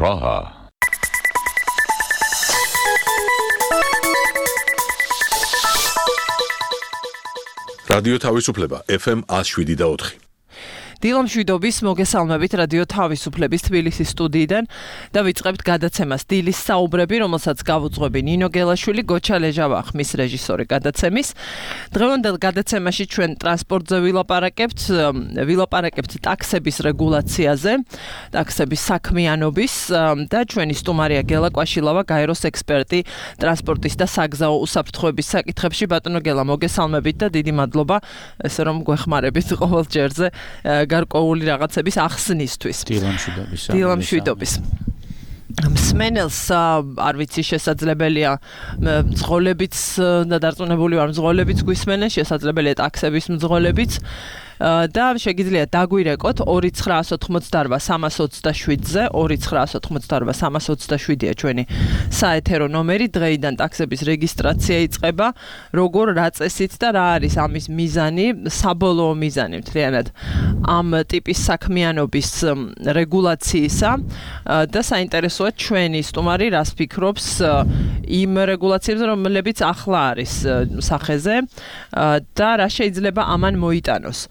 Praha. რადიო თავისუფლება FM 107.4. დილამშვიდობის მოგესალმებით რადიო თავისუფლების თბილისის სტუდიიდან და ვიწყებთ გადაცემას დილის საუბრები, რომელსაც გავუძღვები ნინო გელაშვილი, გოჩა ლეჟავა ხმის რეჟისორი გადაცემის. დღევანდელ გადაცემაში ჩვენ ტრანსპორტზე ვილაპარაკებთ ტაქსების რეგულაციაზე, ტაქსების საქმიანობის და ჩვენი სტუმარია გელა კვაშილავა, გაეროს ექსპერტი ტრანსპორტის და საგზაო უსაფრთხოების საკითხებში. ბატონო გელა, მოგესალმებით და დიდი მადლობა, ესე რომ გვეხმარებით ყოველ ჯერზე გარკვეული რაღაცების ახსნისთვის. დილამშვიდობის. მსმენელს არ ვიცი შესაძლებელია მძღოლებიც და დარწმუნებული ვარ მძღოლებიც გვისმენენ, შესაძლებელია ტაქსების მძღოლებიც და შეგიძლია დაგვირეკოთ 2988327-ზე 2988327-ია ჩვენი საეთერო ნომერი. დღეიდან ტაქსების რეგისტრაცია იწყება. როგორ, რა წესით და რა არის ამის მიზანი, საბოლოო მიზანი მთლიანად ამ ტიპის საქმიანობის რეგულაციისა და საინტერესოა ჩვენი სტუმარი რას ფიქრობს იმ რეგულაციებზე, რომლებიც ახლა არის სახეზე და რა შეიძლება ამან მოიტანოს.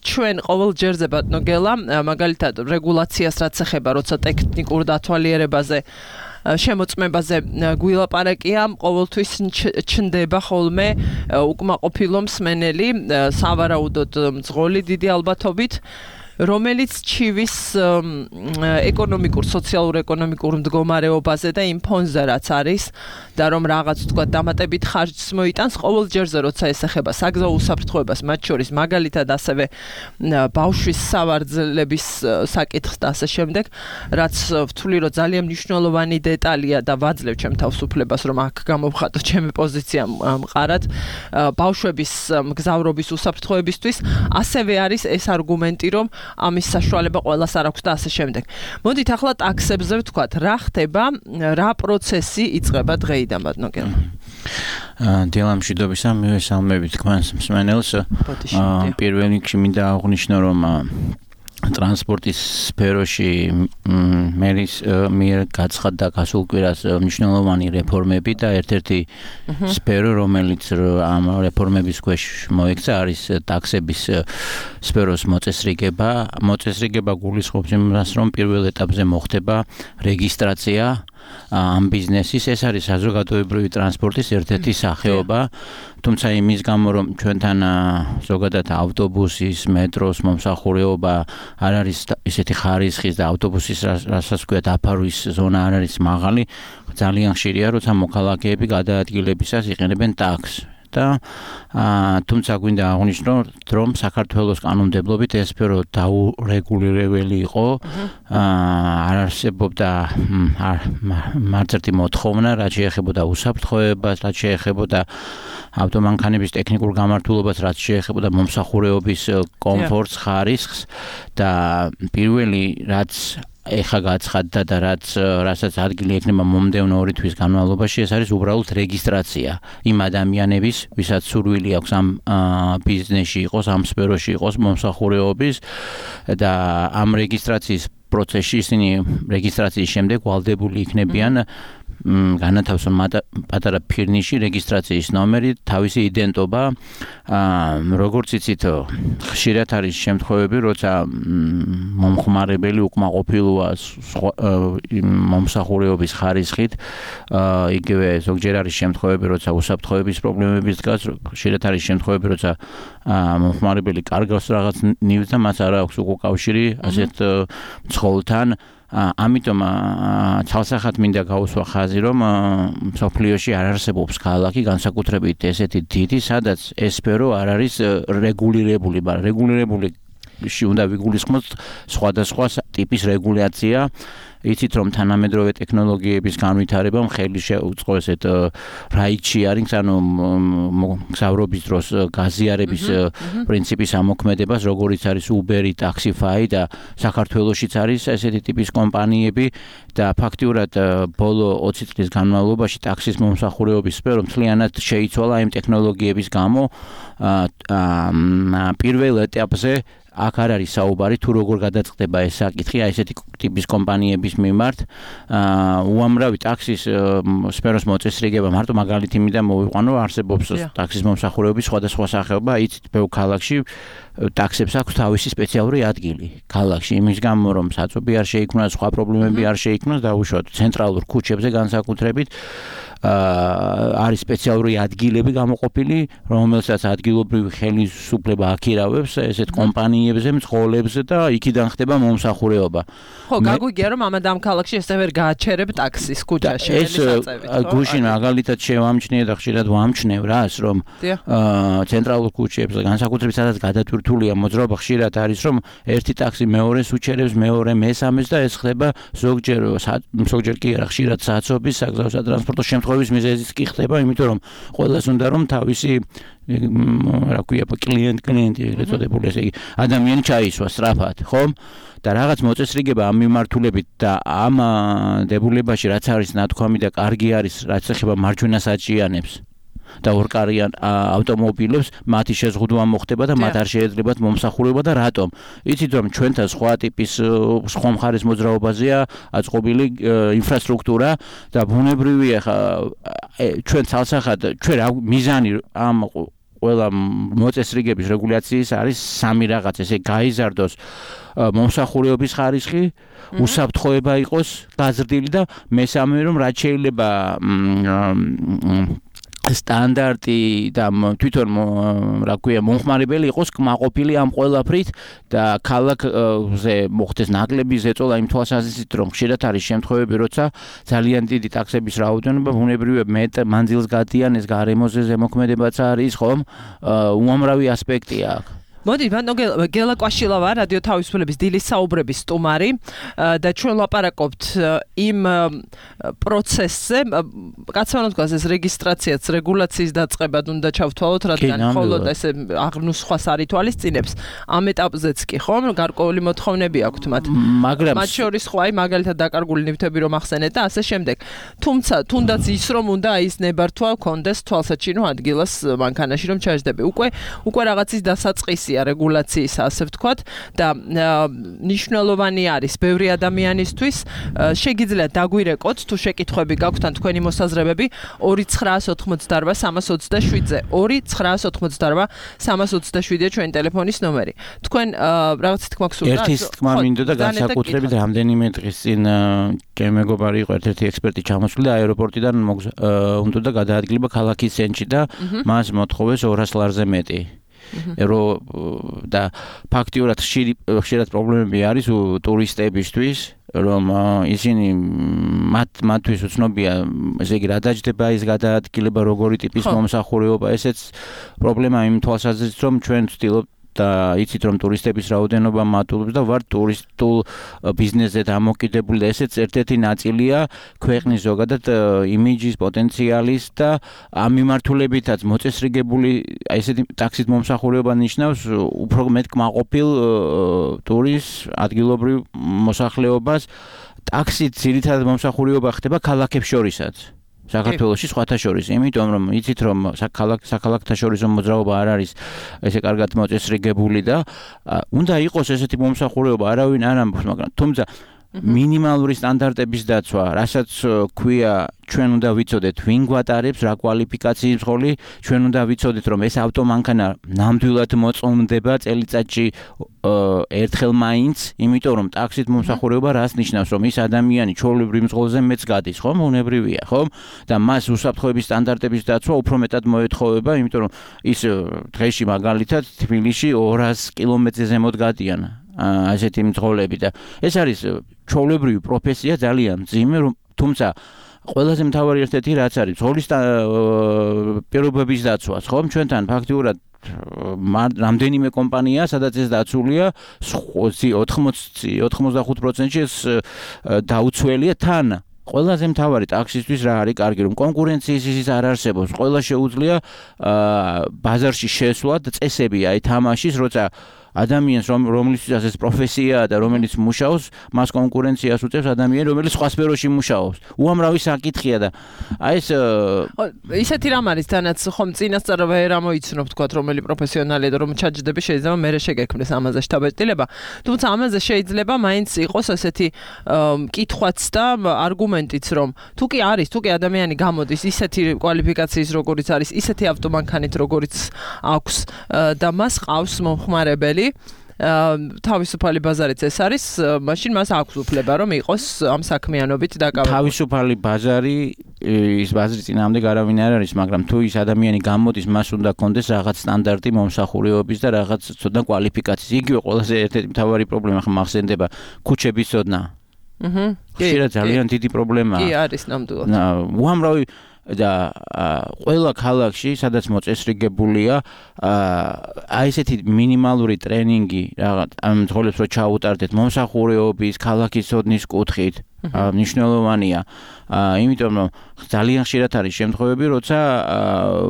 ჩვენ ყოველ ჯერზე ბატონო გელა, მაგალითად რეგულაციას რაც ეხება, როცა ტექნიკურ დათვალიერებაზე შემოწმებაზე გვილაპარაკია, ყოველთვის ჩნდება ხოლმე უკმაყოფილო მსმენელი, სავარაუდოდ მძღოლი დიდი ალბათობით, რომელიც ჩივის ეკონომიკურ, სოციალურ-ეკონომიკურ მდგომარეობაზე და იმ ფონზე რაც არის და რომ რაღაც თქვა დამატებით ხარჯს მოიტანს ყოველ ჯერზე, როცა ეს ეხება საგზაო უსაფრთხოებას, მათ შორის მაგალითად ასევე ბავშვის სავარძელების საკითხს და ასე შემდეგ, რაც ვთვლი, რომ ძალიან მნიშვნელოვანი დეტალია და ვაძლევ ჩემ თავისუფლებას, რომ აქ გამოვხატო ჩემი პოზიცია მყარად ბავშვების მგზავრობის უსაფრთხოებისთვის, ასევე არის ეს არგუმენტი, რომ ამის საშუალება ყველას არ აქვს და ასე შემდეგ. მოდით ახლა ტაქსებზე ვთქვათ, რა ხდება, რა პროცესი იწყება დღეიდან ბატონო გელა. დილამშვიდობისა, მივესალმებით თქვენს მსმენელს. პირველ რიგში მინდა აღვნიშნო, რომ ტრანსპორტის სფეროში მერის მიერ გაცხადდა გასულ კვირას მნიშვნელოვანი რეფორმები და ერთ-ერთი სფერო, რომელიც ამ რეფორმების ქვეშ მოექცა, არის ტაქსების სფეროს მოწესრიგება. მოწესრიგება გულისხმობს იმას, რომ პირველ ეტაპზე მოხდება რეგისტრაცია ამ ბიზნესის. ეს არის საზოგადოებრივი ტრანსპორტის ერთ-ერთი სახეობა, თუმცა იმის გამო, რომ ჩვენთან ზოგადად ავტობუსის, მეტროს მომსახურეობა არ არის ისეთი ხარისხის და ავტობუსის რასაც ვქვიათ დაფარვის ზონა არ არის მაღალი, ძალიან ხშირია, როცა მოქალაქეები გადაადგილებისას იყენებენ ტაქსს. და თუმცა გვინდა აღვნიშნო, რომ საქართველოს კანონმდებლობით ეს სფერო დაურეგულირებელი იყო, არ არსებობდა არც ერთი მოთხოვნა, რაც შეეხებოდა უსაფრთხოებას, რაც შეეხებოდა ავტომანქანების ტექნიკურ გამართულებას, რაც შეეხებოდა მომსახურეობის კომფორტს, ხარისხს და პირველი რაც ეხა გაცხადდა და რასაც ადგილი ექნება მომდევნო 2 თვის განმავლობაში, ეს არის უბრალოდ რეგისტრაცია იმ ადამიანების, ვისაც სურვილი აქვს ამ ბიზნესში იყოს, ამ სფეროში იყოს მომსახურეობის და ამ რეგისტრაციის პროცესში ისინი რეგისტრაციის შემდეგ ვალდებული იქნებიან განათავსონ პატარა ფირნიში, რეგისტრაციის ნომერი, თავისი იდენტობა. როგორც იცით, ხშირად არის შემთხვევები, როცა მომხმარებელი უკმაყოფილოა მომსახურეობის ხარისხით, იგივე ზოგჯერ არის შემთხვევები, როცა უსაფრთხოების პრობლემები დგას, ხშირად არის შემთხვევები, როცა მომხმარებელი კარგავს რაღაც ნივთს და მას არ აქვს უკავშირი ასეთ მძღოლთან. ამიტომ ცალსახად მინდა გავუსვა ხაზი, რომ მსოფლიოში არ არსებობს ქალაქი, განსაკუთრებით ესეთი დიდი, სადაც ეს სფერო არ არის რეგულირებული, მაგრამ რეგულირებულში უნდა ვიგულისხმოთ სხვადასხვა ტიპის რეგულაცია. იცით, რომ თანამედროვე ტექნოლოგიების განვითარებამ ხელი შეუწყო ესეთ რაიდ-შეარინგს, ანუ მგზავრობის დროს გაზიარების პრინციპის ამოქმედებას, როგორიც არის Uber-ი, Taxify და საქართველოშიც არის ესეთი ტიპის კომპანიები და ფაქტიურად ბოლო 20 წლის განმავლობაში ტაქსის მომსახურეობის სფერო მთლიანად შეიცვალა იმ ტექნოლოგიების გამო. პირველ ეტაპზე აქ არ არის საუბარი თუ როგორ გადაწყდება ეს საკითხი აი ესეთი ტიპის კომპანიების მიმართ უამრავი ტაქსის სფეროს მოწესრიგება მარტო მაგალითი მინდა მოვიყვანო არსებობს ტაქსის მომსახურეობის სხვადასხვა სახეობა იცით ბევრ ქალაქში ტაქსებს აქვს თავისი სპეციალური ადგილი ქალაქში იმის გამო რომ საწობი არ შეიქმნას სხვა პრობლემები არ შეიქმნას დაუშვათ ცენტრალურ ქუჩებზე განსაკუთრებით არის სპეციალური ადგილები გამოყოფილი, რომელსაც ადგილობრივი ხელისუფლება აქირავებს ესეთ კომპანიებზე, მძღოლებზე და იქიდან ხდება მომსახურეობა. ხო, გაგვიგია რომ ამადამ ქალაქში ესე ვერ გააჩერებ ტაქსის ქუჩაში, საწევით. ეს გუშინ მაგალითად შევამჩნიე და ხშირად ვამჩნევ რას, რომ ცენტრალურ ქუჩებზე, განსაკუთრებით სადაც გადატვირთულია მოძრაობა, ხშირად არის რომ ერთი ტაქსი მეორეს უჩერებს, მეორე მესამეს და ეს ხდება ზოგჯერ კი არა, ხშირად საცობის საგზაო სატრანსპორტო შემთხვევების მიზეზიც კი ხდება, იმიტომ რომ ყველას უნდა რომ თავისი რა ქვია კლიენტი ეგრეთ წოდებული ესე იგი ადამიანი ჩაისვა სწრაფად, ხომ? და რაღაც მოწესრიგება ამ მიმართულებით და ამ დებულებაში რაც არის ნათქვამი და კარგი არის, რაც ეხება მარჯვენა საჭიანებს და ორკარიან ავტომობილებს მათი შეზღუდვა მოხდება და მათ არ შეეძლებათ მომსახურება და რატომ? იცით რომ ჩვენთან სხვა ტიპის სხვა მხარის მოძრაობაზეა აწყობილი ინფრასტრუქტურა და ბუნებრივია ჩვენ ცალსახად ჩვენ მიზანი ამ ყველა მოწესრიგების რეგულაციის არის სამი რაღაც ესე გაიზარდოს მომსახურეობის ხარისხი, უსაფრთხოება იყოს გაზრდილი და მესამე რომ რაც შეიძლება სტანდარტი და თვითონ რა ქვია მომხმარებელი იყოს კმაყოფილი ამ ყველაფრით და ქალაქზე მოხდეს ნაკლები ზეწოლა იმ თვალსაზრისით რომ ხშირად არის შემთხვევები როცა ძალიან დიდი ტაქსების რაოდენობა ბუნებრივია მანძილს გადიან ეს გარემოზე ზემოქმედებაც არის ხომ უამრავი ასპექტია აქვს მოდი, ბანო გელა კვაშილავა, რადიო თავისუფლების დილის საუბრების სტუმარი და ჩვენ ლაპარაკობთ იმ პროცესზე, კაცმანოთ გვას ეს რეგისტრაციაც, რეგულაციის დაწყებად უნდა ჩავთვალოთ, რადგან მხოლოდ ესე აღნუს სხვას არ ითვალისწინებს. ამ ეტაპზეც კი ხომ, გარკვეული მოთხოვნები აქვთ მათ. მაგრამ მათ შორის ხო აი მაგალითად დაკარგული ნივთები რომ ახსენეთ და ასე შემდეგ. თუმცა თუნდაც ის რომ უნდა აი ეს ნებართვა კონდეს თვალსაჩინო ადგილას მანქანაში რომ ჩაჯდები. უკვე რაღაცის დასაწყისი რეგულაციის ასე ვთქვათ და ნიშნულოვანი არის ბევრი ადამიანისთვის შეგიძლიათ დაგვირეკოთ თუ შეკითხვები გაქვთ ან თქვენი მოსაზრებები 2988-327-ზე 2988-327-ია ჩვენი ტელეფონის ნომერი თქვენ რაღაც თქმა გსურდა ერთის თქმა მინდოდა და განსაკუთრებით რამდენიმე დღის წინ ჩემი მეგობარი იყო ერთ-ერთი ექსპერტი ჩამოსული და აეროპორტიდან უნდა გადაადგილება ქალაქის ცენტრში და მას მოთხოვეს 200 ლარზე მეტი და ფაქტიურად ხშირად პრობლემები არის ტურისტებისთვის რომ ისინი მათთვის უცნობია ესე იგი რა დაჯდება ის გადაადგილება როგორი ტიპის მომსახურეობა ესეც პრობლემაა იმ თვალსაზრისით რომ ჩვენ ვცდილობთ და იცით რომ ტურისტების რაოდენობა მატულობს და ვარ ტურისტულ ბიზნესზე დამოკიდებული და ესეც ერთ-ერთი ნაწილია ქვეყნის ზოგადად იმიჯის პოტენციალის და ამ მიმართულებითაც მოწესრიგებული ესეთი ტაქსის მომსახურება ნიშნავს უფრო მეტ კმაყოფილ ტურისტს ადგილობრივ მოსახლეობას ტაქსით ძირითადად მომსახურება ხდება ქალაქებს შორისაც საქართველოში სხვათა შორის, იმიტომ რომ იცით რომ საქალაქთა შორის მოძრაობა არ არის ესე კარგად მოწესრიგებული და უნდა იყოს ესეთი მომსახურეობა, არავინ არ ამბობს, მაგრამ თუმცა მინიმალური სტანდარტების დაცვა, რასაც ქვია ჩვენ უნდა ვიცოდეთ ვინ გვატარებს, რა კვალიფიკაციის მძღოლი, ჩვენ უნდა ვიცოდეთ რომ ეს ავტომანქანა ნამდვილად მოწონდება წელიწადში ერთხელ მაინც, იმიტომ რომ ტაქსით მომსახურება რას ნიშნავს, რომ ის ადამიანი ჩვეულებრივ მძღოლზე მეც გადის, ხომ? უნებრივია, ხომ? და მას უსაფრთხოების სტანდარტების დაცვა უფრო მეტად მოეთხოვება, იმიტომ რომ ის დღეში მაგალითად თბილისში 200 კილომეტრზე ზემოთ გადიან. ასეთი მძღოლები და ეს არის ჩვეულებრივი პროფესია ძალიან მძიმე, თუმცა ყველაზე მთავარი ერთ-ერთი რაც არის მძღოლის პირობების დაცვა, ხომ? ჩვენთან ფაქტიურად რამდენიმე კომპანია, სადაც ეს დაცულია 85%-ში ეს დაუცველია თან ყველაზე მთავარი ტაქსისთვის რა არის კარგი რომ კონკურენციის ისიც არ არსებობს ყველა შეუძლია ბაზარში შესვლა და წესები აი თამაშის როცა ადამიანს რომლისთვისაც ეს პროფესიაა და რომელიც მუშაობს, მას კონკურენციას უწევს ადამიანი, რომელიც სხვა სფეროში მუშაობს. უამრავი საკითხია და აი ეს ისეთი რამ არის თანაც ხომ წინასწარ ვერ ამოიცნობ თქვათ რომელი პროფესიონალია და რომ ჩაჯდები შეიძლება მერე შეგექმნეს ამაზე შთაბეჭდილება. თუმცა ამაზე შეიძლება მაინც იყოს ასეთი კითხვაც და არგუმენტიც რომ თუ კი ადამიანი გამოდის ისეთი კვალიფიკაციის როგორიც არის, ისეთი ავტომანქანით როგორიც აქვს და მას ყავს მომხმარებელი თავისუფალი ბაზარიც ეს არის, მაშინ მას აქვს უფლება რომ იყოს ამ საქმიანობით დაკავებული. თავისუფალი ბაზარი ის ბაზრის წინააღმდეგ არავინ არ არის, მაგრამ თუ ის ადამიანი გამოდის, მას უნდა კონდეს რაღაც სტანდარტი მომსახურებების და რაღაც ცოდნა კვალიფიკაციის. იგივე ყველაზე ერთ-ერთი მთავარი პრობლემა ხმახსენდება ქუჩების ცოდნა. ხშირად ძალიან დიდი პრობლემაა. კი არის ნამდვილად. უამრავი და ყველა ქალაქში, სადაც მოწესრიგებულია, აი ესეთი მინიმალური ტრენინგი რაღაც ამ ძღოლებს რო ჩაუტარდეთ მომსახურეობის, ქალაქის ცოდნის კუთხით, მნიშვნელოვანია. იმიტომ რომ ძალიან ხშირად არის შემთხვევები, როცა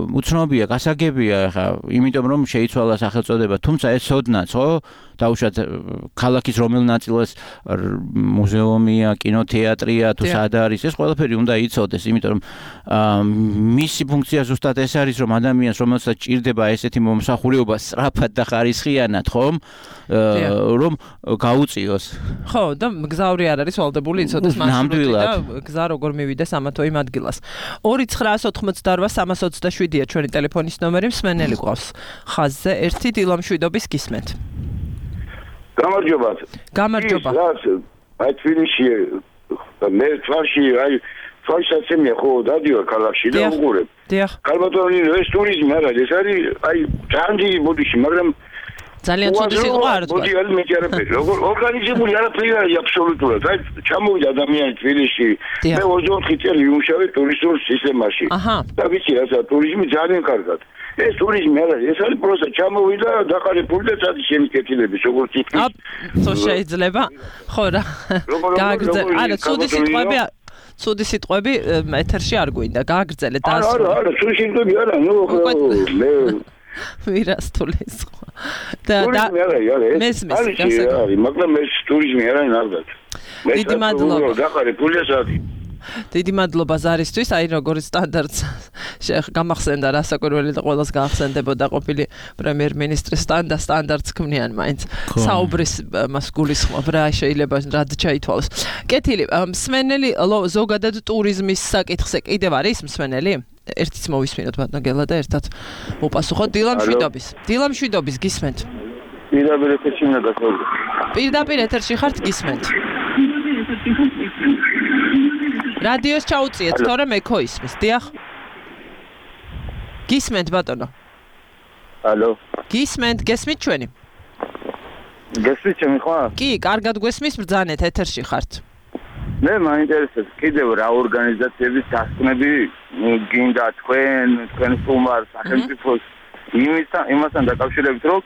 უცნობია, გასაგებია ხა, იმიტომ რომ შეიცვალა სახელწოდება, თუმცა ეს ცოდნაც, ხო? დაუშვათ ქალაქის რომელ ნაწილას მუზეუმია, კინოთეატრია, თუ სად არის, ეს ყველაფერი უნდა იცოდეს, იმიტომ რომ მისი ფუნქცია ზუსტად ეს არის, რომ ადამიანს რომელსაც ჭირდება ესეთი მომსახურება სწრაფად და ხარისხიანად, ხომ? რომ გაუწიოს. ხო, და გზავრი არ არის ვალდებული იცოდეს მარშრუტი და გზა როგორ მივიდეს ამა თუ იმ ადგილას. 2988327-ია ჩვენი ტელეფონის ნომერი, მსმენელი გვყავს ხაზზე. ერთი დილამშვიდობის გისმენთ. გამარჯობა. გამარჯობა. აი თბილისში მე თვალში აი თვალსაცემია ხო დადიოარ ქალაქში და უყურებ. დიახ. ქალბატონი ეს ტურიზმი არა, ეს არის აი ძალიან დიდი ბოდიში, მაგრამ ძალიან ცუდი სიტყვა არ თქვა. ბოდი არის მეტი არაფერი. როგორ ორგანიზებული არაფერი არის აბსოლუტურად. აი ჩამოვიდა ადამიანი თბილისში. მე 24 წელი ვიმუშავე ტურისტულ სისტემაში. და ვიცი რა ტურიზმი ძალიან კარგად. ეს ტურიზმი არა, ეს არის პროსა ჩამოვიდა დაყარებული და წადი შემიკეთილების როგორც იქნება. ხო შეიძლება. ხო რა. გააგრძელე. არა, ცუდი სიტყვები ეთერში არ გვინდა. გააგრძელე და არა, ცუდი სიტყვები არა, ნუ მე ვირასტულის ხო. და მესმის გასაგები. მაგრამ ეს ტურიზმი არა ნარგად. დიდი მადლობა. დაყარებულია წადი. დიდი მადლობა ზარისთვის, აი როგორც სტანდარტს გამახსენდა რასაკვირველი და ყველას გაახსენდებოდა ყოფილი პრემიერ-მინისტრის სტანდარტს ქმნიან მაინც. საუბრის მას გულისხმობ რა შეიძლება რად ჩაითვალოს. კეთილი, მსმენელი ზოგადად ტურიზმის საკითხზე კიდევ არის მსმენელი? ერთიც მოვისმინოთ ბატონო გელა და ერთად მოპასუხოთ დილამშვიდობის გისმენთ. პირდაპირ ეთერში უნდა გასაუბროთ. პირდაპირ ეთერში ხართ გისმენთ. რადიოს ჩაუწიეთ, თორემ ეკო ისმის, დიახ. გისმენთ ბატონო. ალო. გისმენთ, გესმით ჩვენი? გესმით ჩემი ხო? კი, კარგად გვესმის, ბრძანეთ ეთერში ხართ. მე მაინტერესებს კიდევ რა ორგანიზაციების დასკვნები გინდა თქვენ სტუმარ სახელმწიფოს იმასთან დაკავშირებით, რომ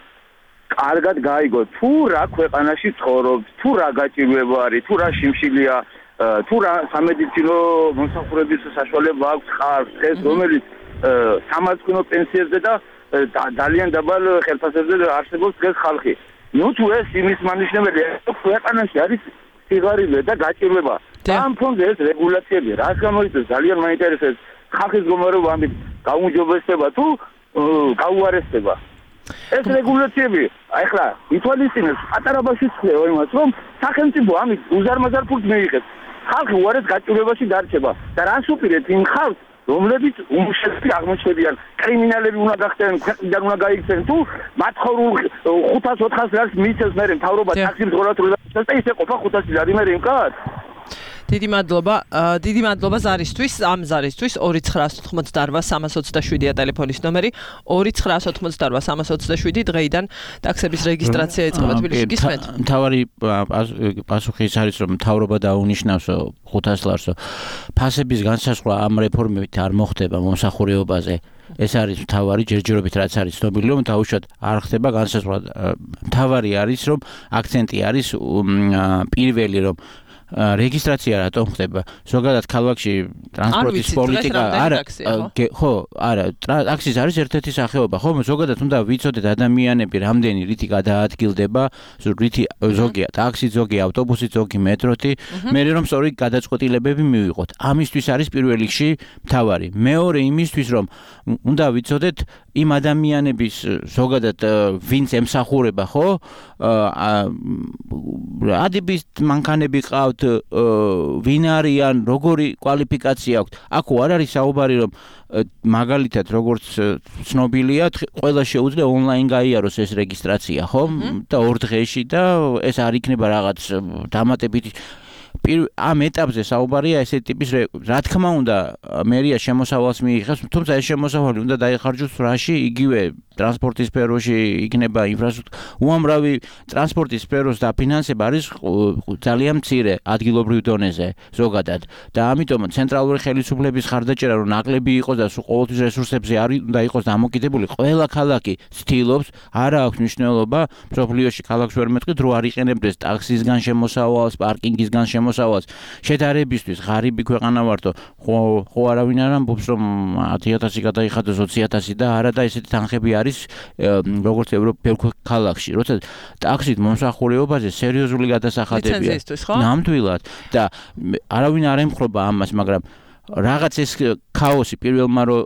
კარგად გაიგოთ, თუ რა ქვეყანაში ცხოვრობს, თუ რა გაჭირვება არის, თუ რა შიმშილია, თუ რა სამედიცინო მომსახურების საშუალება აქვს ხალხს, ეს რომელიც სამართლიანო პენსიებზე და ძალიან დაბალ ხელფასებზე არსებობს დღეს ხალხი. ნუ თუ ეს იმის მანიშნებელია, რომ ქვეყანაში არის სიღარიბე და გაჭირვება. ამ ფონზე ეს რეგულაციები რას გამოიწვევს ძალიან მაინტერესებს ხალხის მდგომარეობა ამით გაუმჯობესდება თუ გაუარესდება. ეს რეგულაციები ახლა ითვალისწინებს პატარა ბავშვის ხდება იმას, რომ სახელმწიფო ამით უზარმაზარ ფულს მიიღებს. ხალხი უარეს გაჭირვებაში დარჩება და რას უპირეთ იმ ხალხს, რომლებიც უმუშევრები აღმოჩნდებიან, კრიმინალები უნდა გახდნენ, ქვეყნიდან უნდა გაიქცნენ, თუ მათხოვრულ 500-400 ლარს მიიწევს მერე მთავრობა ტაქსის მძღოლად და ისე ყოფა 500 ლარი მერე იმკაც. დიდი მადლობა ზარისთვის, ამ ზარისთვის 2988327-ია ტელეფონის ნომერი, 2988327 დღეიდან ტაქსების რეგისტრაცია იწყება თბილისში. გისმენთ? მთავარი პასუხი ის არის, რომ მთავრობა დაუნიშნავს 500 ლარსო. ფასების განსაზღვრა ამ რეფორმებით არ მოხდება მომსახურებაზე. ეს არის მთავარი ჯერჯერობით რაც არის ცნობილი, რომ დაუშვათ არ ხდება განსაზღვრა. მთავარი არის, რომ აქცენტი არის პირველი, რომ რეგისტრაცია რატომ ხდება? ზოგადად ქალაქში ტრანსპორტის პოლიტიკა არა, ტაქსის არის ერთ-ერთი სახეობა, ხო? ზოგადად უნდა ვიცოდეთ ადამიანები რამდენი რითი გადაადგილდება, რითი ზოგია ტაქსი, ზოგი ავტობუსი, ზოგი მეტროთი, მე რომ სწორი გადაწყვეტილებები მივიღოთ. ამისთვის არის პირველ რიგში მთავარი. მეორე იმისთვის რომ უნდა ვიცოდეთ იმ ადამიანების ზოგადად ვინც ემსახურება, ხო? ადების მანქანები ყავთ, ვინ არიან, როგორი კვალიფიკაცია აქვთ. აქ არ არის საუბარი რომ მაგალითად როგორც ცნობილია, ყველა შეუძლია ონლაინ გაიაროს ეს რეგისტრაცია, ხო? და 2 დღეში და ეს არ იქნება რაღაც დამატებითი ამ ეტაპზე საუბარია ესეთი ტიპის რა თქმა უნდა მერია შემოსავალს მიიღებს, თუმცა ეს შემოსავალი უნდა დაიხარჯოს რაში, იგივე ტრანსპორტის სფეროში იქნება ინფრასტრუქტურა. უამრავი ტრანსპორტის სფეროს დაფინანსება არის ძალიან მცირე ადგილობრივ დონეზე ზოგადად და ამიტომ ცენტრალური ხელისუფლების ხარდაჭერა რომ ნაკლები იყოს და ყოველთვის რესურსებზე არ უნდა იყოს დამოკიდებული, ყველა ქალაქი ცდილობს, არა აქვს მნიშვნელობა მსოფლიოში ქალაქს ვერ მეტყვით, რო არ იყენებდეს ტაქსისგან შემოსავალს, პარკინგისგან შემოსავალს. შედარებისთვის ღარიბი ქვეყანა ვართო, ხო არავინ არ ამბობს რომ 10,000 გადაიხადოს 20,000 და არა და ესეთი თანხები არის როგორც ევროპულ ქალაქში, როცა ტაქსით მომსახურებაზე სერიოზული გადასახადებია. ნამდვილად და არავინ არ ემხრობა ამას, მაგრამ რაღაც ეს ქაოსი პირველმა რო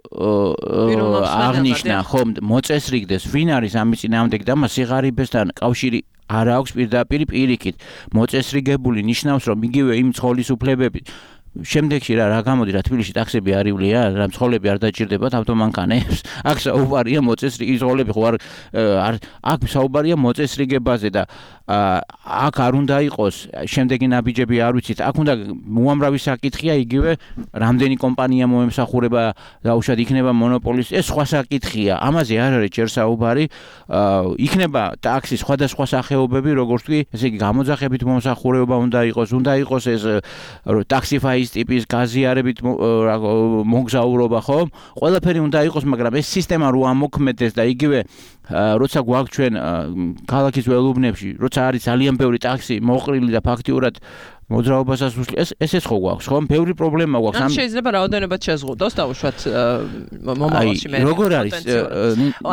აღნიშნა, ხომ მოწესრიგდეს, ვინ არის ამის წინააღმდეგ და მას სიღარიბესთან კავშირი არ აქვს პირდაპირ პირიქით. მოწესრიგებული ნიშნავს რომ იგივე იმ ცხოველისუფლებები შემდეგში რა გამოდი რა თბილისში ტაქსები არ ივლია, რა მცხოვრები არ დაჭირდებათ ავტომანქანებს. აქ საუბარია მოწესრიგების ცხოველები ხო არ აქ საუბარია მოწესრიგებაზე და აქ არ უნდა იყოს შემდეგი ნაბიჯები არ ვიცით. აქ უნდა უამრავი საკითხია იგივე რამდენი კომპანია მოემსახურება დაუშვათ იქნება მონოპოლის ეს სხვა საკითხია. ამაზე არ არის ჯერ საუბარი. იქნება ტაქსის სხვადასხვა სახეობები, როგორც კი ესე იგი გამოძახებით მომსახურება უნდა იყოს ეს ტაქსიფაის ტიპის გაზიარებით მოგზაურობა, ხო? ყველაფერი უნდა იყოს, მაგრამ ეს სისტემა რო ამოქმედდეს და იგივე როცა გვაქვს ჩვენ ქალაქის ველუბნებში, როცა არის ძალიან ბევრი ტაქსი მოყრილი და ფაქტიურად მოძრაობასაც ესეც ხო გვაქვს, ხო? ბევრი პრობლემა გვაქვს. ამ შეიძლება რაოდენობად შეზღუდოს დაუშვათ მომავალში მე. როგორ არის?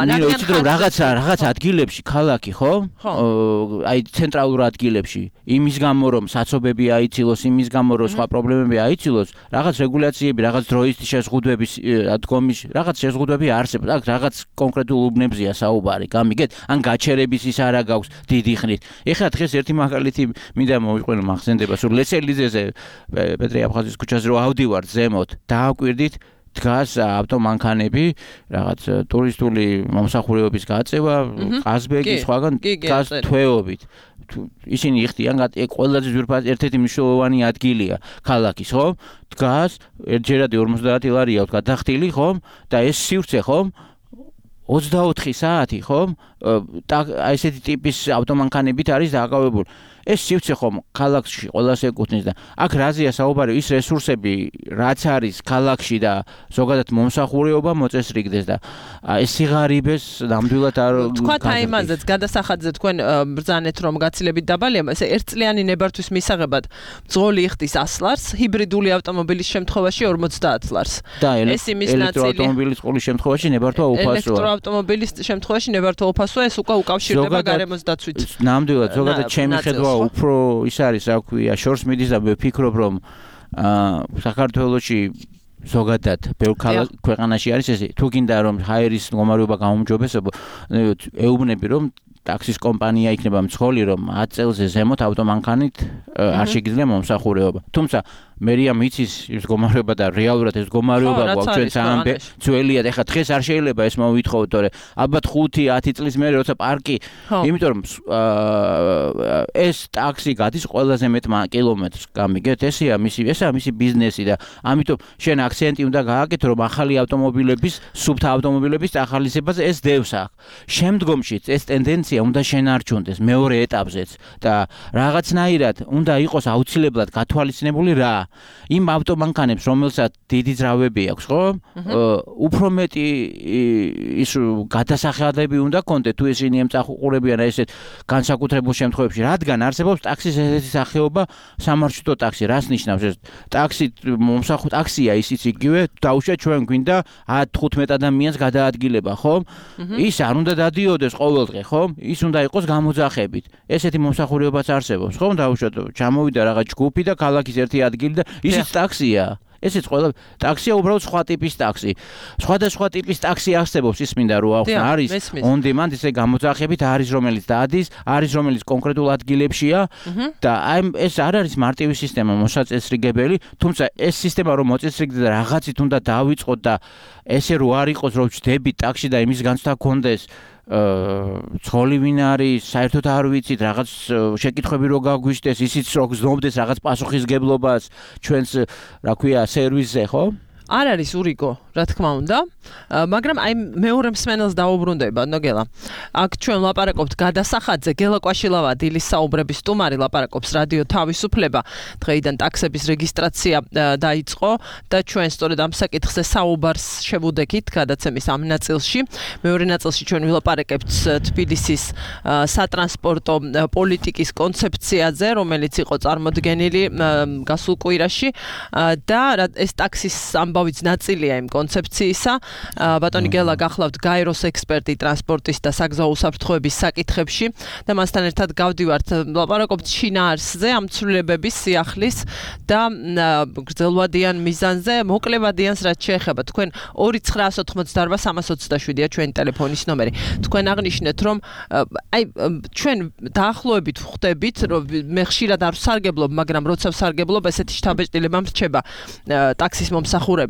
ნინო იცით რომ რაღაც ადგილებში ქალაქი, ხო? აი ცენტრალურ ადგილებში იმის გამო რომ საცობები აიცილოს, იმის გამო რომ სხვა პრობლემები აიცილოს, რაღაც რეგულაციები, რაღაც დროის შეზღუდვების დგომის, რაღაც შეზღუდვები არსებობს. აქ რაღაც კონკრეტულ უბნებზია საუბარი, გამიგეთ? ან გაჩერების ის არა გაქვს დიდი ხნით. ეხლა დღეს ერთი მაგალითი მინდა მოვიყვანო მახსენდება ლეცელიძეზე პეტრე აფხაზის ქუჩაზე რო ავდივარ ზემოთ დააკვირდით დგას ავტომანქანები რაღაც ტურისტული მომსახურებების გაწევა ყაზბეგი სხვაგან დგას თვეობით ისინი იხდიან ყველაზე ძვირფასი ერთ-ერთი მნიშვნელოვანი ადგილია ქალაქის ხო დგას ერთჯერადი 50 ლარია აქვს გადახდილი ხო და ეს სივრცე ხო 24 საათი ხო აი ესეთი ტიპის ავტომანქანებით არის დაკავებული ეს სივრცე ხომ ქალაქში ყველას ეკუთვნის და აქ რაზეა საუბარი ის რესურსები რაც არის ქალაქში და ზოგადად მომსახურება მოწესრიგდეს და ეს სიღარიბეს ნამდვილად არ თქვათ აი იმაზეც გადასახადზე თქვენ ბრძანეთ რომ გაცილებით დაბალია ესე ერთწლიანი ნებართვის მისაღებად მძღოლი იხდის 100 ლარს ჰიბრიდული ავტომობილის შემთხვევაში 50 ლარს ეს იმის ნაწილი ელექტროავტომობილის ყოვლის შემთხვევაში ნებართვა უფასოა ელექტროავტომობილის შემთხვევაში ნებართვა უფასოა ეს უკვე უკავშირდება გარემოს დაცვით ნამდვილად ზოგადად ჩემი ხედვა უფრო ის არის რა ქვია შორს მიდის და ვფიქრობ რომ საქართველოში ზოგადად ბევრ ქვეყანაში არის ესე თუ გინდა რომ ჰაერის მდგომარეობა გამომჯობესებო ეუბნები რომ ტაქსის კომპანია იქნება მძღოლი რომ 10 წელზე ზემოთ ავტომანქანით არ შეგიძლია მომსახურება თუმცა მერია მიცის ის მდგომარეობა და რეალურად ეს მდგომარეობა გვაქვს ჩვენ სამბე ძველია და ეხლა დღეს არ შეიძლება ეს მოვითხოვოთ თორე ალბათ 5-10 წლის მერე როცა პარკი იმიტომ რომ ეს ტაქსი გადის ყველაზე მეტ კილომეტრს გამიგეთ ესეა მისი ბიზნესი და ამიტომ შენ აქცენტი უნდა გააკეთო რომ ახალი ავტომობილების სუბთა ავტომობილების ახალისებაზე ეს დევს აქ შემდგომში ეს ტენდენცია უნდა შენარჩუნდეს მეორე ეტაპზეც და რაღაცნაირად უნდა იყოს აუცილებლად გათვალისწინებული რა იმ ავტომანქანებს, რომელსაც დიდი ძრავები აქვს, ხო? უფრო მეტი ის გადასახადები უნდა კონდეთ თუ ისინი ემსახურებიან ესეთ განსაკუთრებულ შემთხვევებში, რადგან არსებობს ტაქსის ესეთი სახეობა სამარშრუტო ტაქსი. რას ნიშნავს ეს? ტაქსია ისიც იგივე, დაუშვათ ჩვენ გვინდა 10-15 ადამიანს გადაადგილება, ხო? ის არ უნდა დადიოდეს ყოველდღე, ხო? ის უნდა იყოს გამოძახებით. ესეთი მომსახურებაც არსებობს, ხო? დაუშვათ ჩამოვიდა რაღაც ჯგუფი და ქალაქის ერთი ადგილი და ისიც ტაქსია. ესეც ყველა ტაქსია უბრალოდ სხვა ტიპის ტაქსი. სხვადასხვა ტიპის ტაქსი არსებობს, ის მინდა რომ ავხსნა, არის on demand ისე გამოძახებით, არის რომელიც დადის, არის რომელიც კონკრეტულ ადგილებშია და აი ეს არ არის მარტივი სისტემა მოსაწესრიგებელი, თუმცა ეს სისტემა რომ მოწესრიგდა რაღაცით უნდა დავიწყოთ და ესე რო არ იყოს რომ ვждები ტაქსში და იმის განცდა გქონდეს ცოლი ვინ არის, საერთოდ არ ვიცით, რაღაც შეკითხვები რო გაგვიშდეს, ისიც რო გზნობდეს რაღაც პასუხისგებლობას ჩვენს, რა ქვია, სერვისზე, ხო? არ არის ურიგო, რა თქმა უნდა, მაგრამ აი მეორე მსმენელს დაუბრუნდება, ნოგელა. აქ ჩვენ ლაპარაკობთ გადასახადზე, გელა კვაშილავა დილის საუბრების სტუმარი ლაპარაკობს რადიო თავისუფლება. დღეიდან ტაქსების რეგისტრაცია დაიწყო და ჩვენ სწორედ ამ საკითხზე საუბარს შევუდექით გადაცემის ამ ნაწილში. მეორე ნაწილში ჩვენ ვილაპარაკებთ თბილისის სატრანსპორტო პოლიტიკის კონცეფციაზე, რომელიც იყო წარმოდგენილი გასულ კვირაში და ეს ტაქსის ამბავიც ნაწილია იმ კონცეფციისა. ბატონი გელა გახლავთ გაეროს ექსპერტი ტრანსპორტის და საგზაო უსაფრთხოების საკითხებში და მასთან ერთად გავდივართ ლაპარაკობთ შინაარსზე, ამ ცვლილებების სიახლის და გრძელვადიან მიზანზე, მოკლევადიანს რაც შეეხება. თქვენ 2988327-ია ჩვენი ტელეფონის ნომერი. თქვენ აღნიშნეთ, რომ აი ჩვენ დაახლოებით ხვდებით, რომ მე ხშირად არ ვსარგებლობ, მაგრამ როცა ვსარგებლობ, ესეთი შთაბეჭდილება მრჩება ტაქსის მომსახურებით.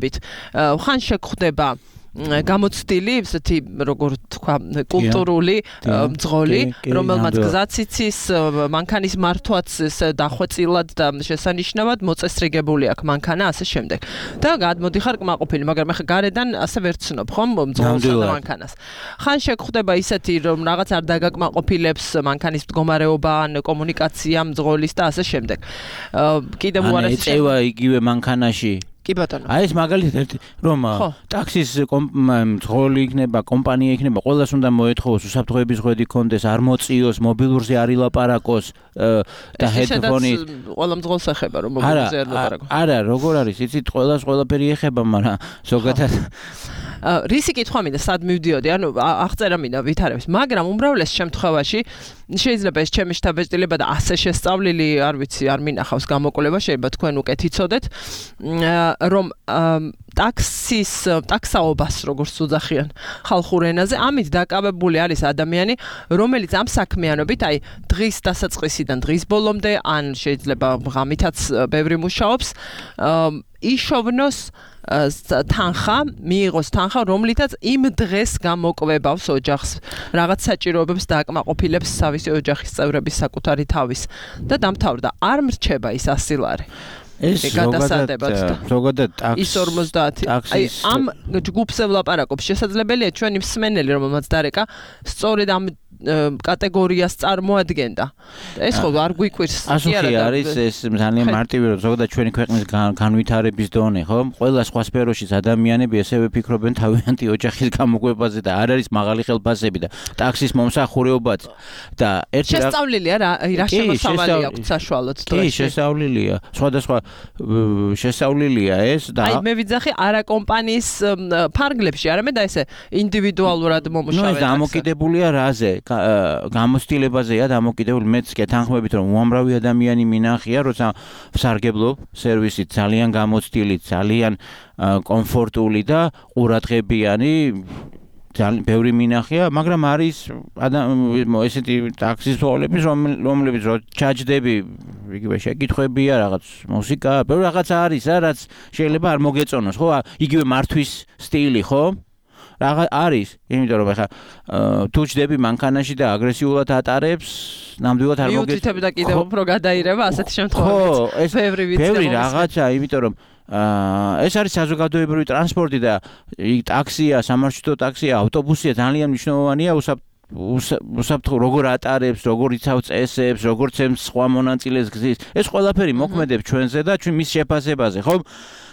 ხან შეგხვდება გამოცდილი, ესეთი როგორ თქვა, კულტურული მძღოლი, რომელმაც გზაც იცის, მანქანის მართვაც დახვეწილად და შესანიშნავად მოწესრიგებული აქვს მანქანა, ასე შემდეგ. და გადმოდიხარ კმაყოფილი, მაგრამ ახლა გარედან ასე ვერ ცნობ, ხომ, მძღოლსა და მანქანას. ხან შეგხვდება ისეთი, რომ რაღაც არ დაგაკმაყოფილებს მანქანის მდგომარეობა, ან კომუნიკაცია მძღოლის და ასე შემდეგ. კიდევ უარესი ეწევა იგივე მანქანაში. კი ბატონო. აი ეს მაგალითად რომ ტაქსის მძღოლი იქნება, კომპანია იქნება, ყველას უნდა მოეთხოვოს უსაფრთხოების ღვედი კონდეს, არ მოწიოს, მობილურზე არ ილაპარაკოს და ჰედფონი ყველა მძღოლს ეხება რომ მობილურზე არ ლაპარაკოს. არა, როგორ არის, იცით, ყველას ყველაფერი ეხება, მაგრამ ზოგადად რისი კითხვა მინდა, სად მივდიოდი, ანუ აღწერა მინდა ვითარებს, მაგრამ უმრავლეს შემთხვევაში შეიძლება ეს ჩემი შთაბეჭდილება და ასე შესწავლილი, არ ვიცი, არ მინახავს გამოკვლევა, შეიძლება თქვენ უკეთ იცოდეთ, რომ ტაქსაობას როგორც უძახიან ხალხურ ენაზე, ამით დაკავებული არის ადამიანი, რომელიც ამ საქმიანობით, აი დღის დასაწყისიდან დღის ბოლომდე, ან შეიძლება ღამითაც ბევრი მუშაობს, იშოვნოს თანხა, მიიღოს თანხა, რომლითაც იმ დღეს გამოკვებავს ოჯახს, რაღაც საჭიროებებს დააკმაყოფილებს თავისი ოჯახის წევრების საკუთარი თავის და დამთავრდა. არ მრჩება ის ასილარი. ეს ზოგადად ის 50. აი ამ ჯგუფზე ვლაპარაკობ, შესაძლებელია ჩვენი მსმენელი, რომელმაც დარეკა, სწორედ ამ კატეგორიას წარმოადგენდა. ეს ხო არ გვიკვირს. ასეთი არის ეს ძალიან მარტივი, რომ ზოგადად ჩვენი ქვეყნის განვითარების დონე, ხო? ყველა სხვა სფეროშიც ადამიანები ესევე ფიქრობენ თავიანთი ოჯახის გამოკვებაზე და არ არის მაღალი ხელფასები და ტაქსის მომსახურებაც და ერთი შესწავლილია რა შემოსავალი აქვს საშუალოდ დღეს. კი, შესწავლილია. სხვადასხვა შესწავლილია ეს და აი მე ვიძახი არა კომპანიის ფარგლებში, არამედ აი ესე ინდივიდუალურად მომუშავე. ეს დამოკიდებულია რაზე? გამოცდილებაზეა დამოკიდებული. მეც კი თანხმობით რომ უამრავი ადამიანი მინახია, როცა ვსარგებლობ სერვისით, ძალიან გამოცდილი, ძალიან კომფორტული და ყურადღებიანი, ძალიან ბევრი მინახია, მაგრამ არის ესეთი ტაქსის მძღოლები, რომლებიც რო ჩაჯდები, იგივე შეკითხვებია, რაღაც მუსიკა, ბევრი რაღაც არის, რაც შეიძლება არ მოგეწონოს, ხო? იგივე მართვის სტილი, ხო? რაღაც არის, იმიტომ რომ ახლა თუ ჯდები მანქანაში და აგრესიულად ატარებს, ნამდვილად არ მოგეწონს. მიუთითებ და კიდევ უფრო გადაირება ასეთი შემთხვევაში. ხო, ეს ბევრი რაღაცა, იმიტომ რომ ეს არის საზოგადოებრივი ტრანსპორტი და ტაქსია, სამარშრუტო ტაქსია, ავტობუსია ძალიან მნიშვნელოვანია უსაფრთხო როგორ ატარებს, როგორ იცავს წესებს, როგორ ცემს სხვა მონაწილეს გზის. ეს ყველაფერი მოქმედებს ჩვენზე და ჩვენ მის შეფასებაზე, ხო?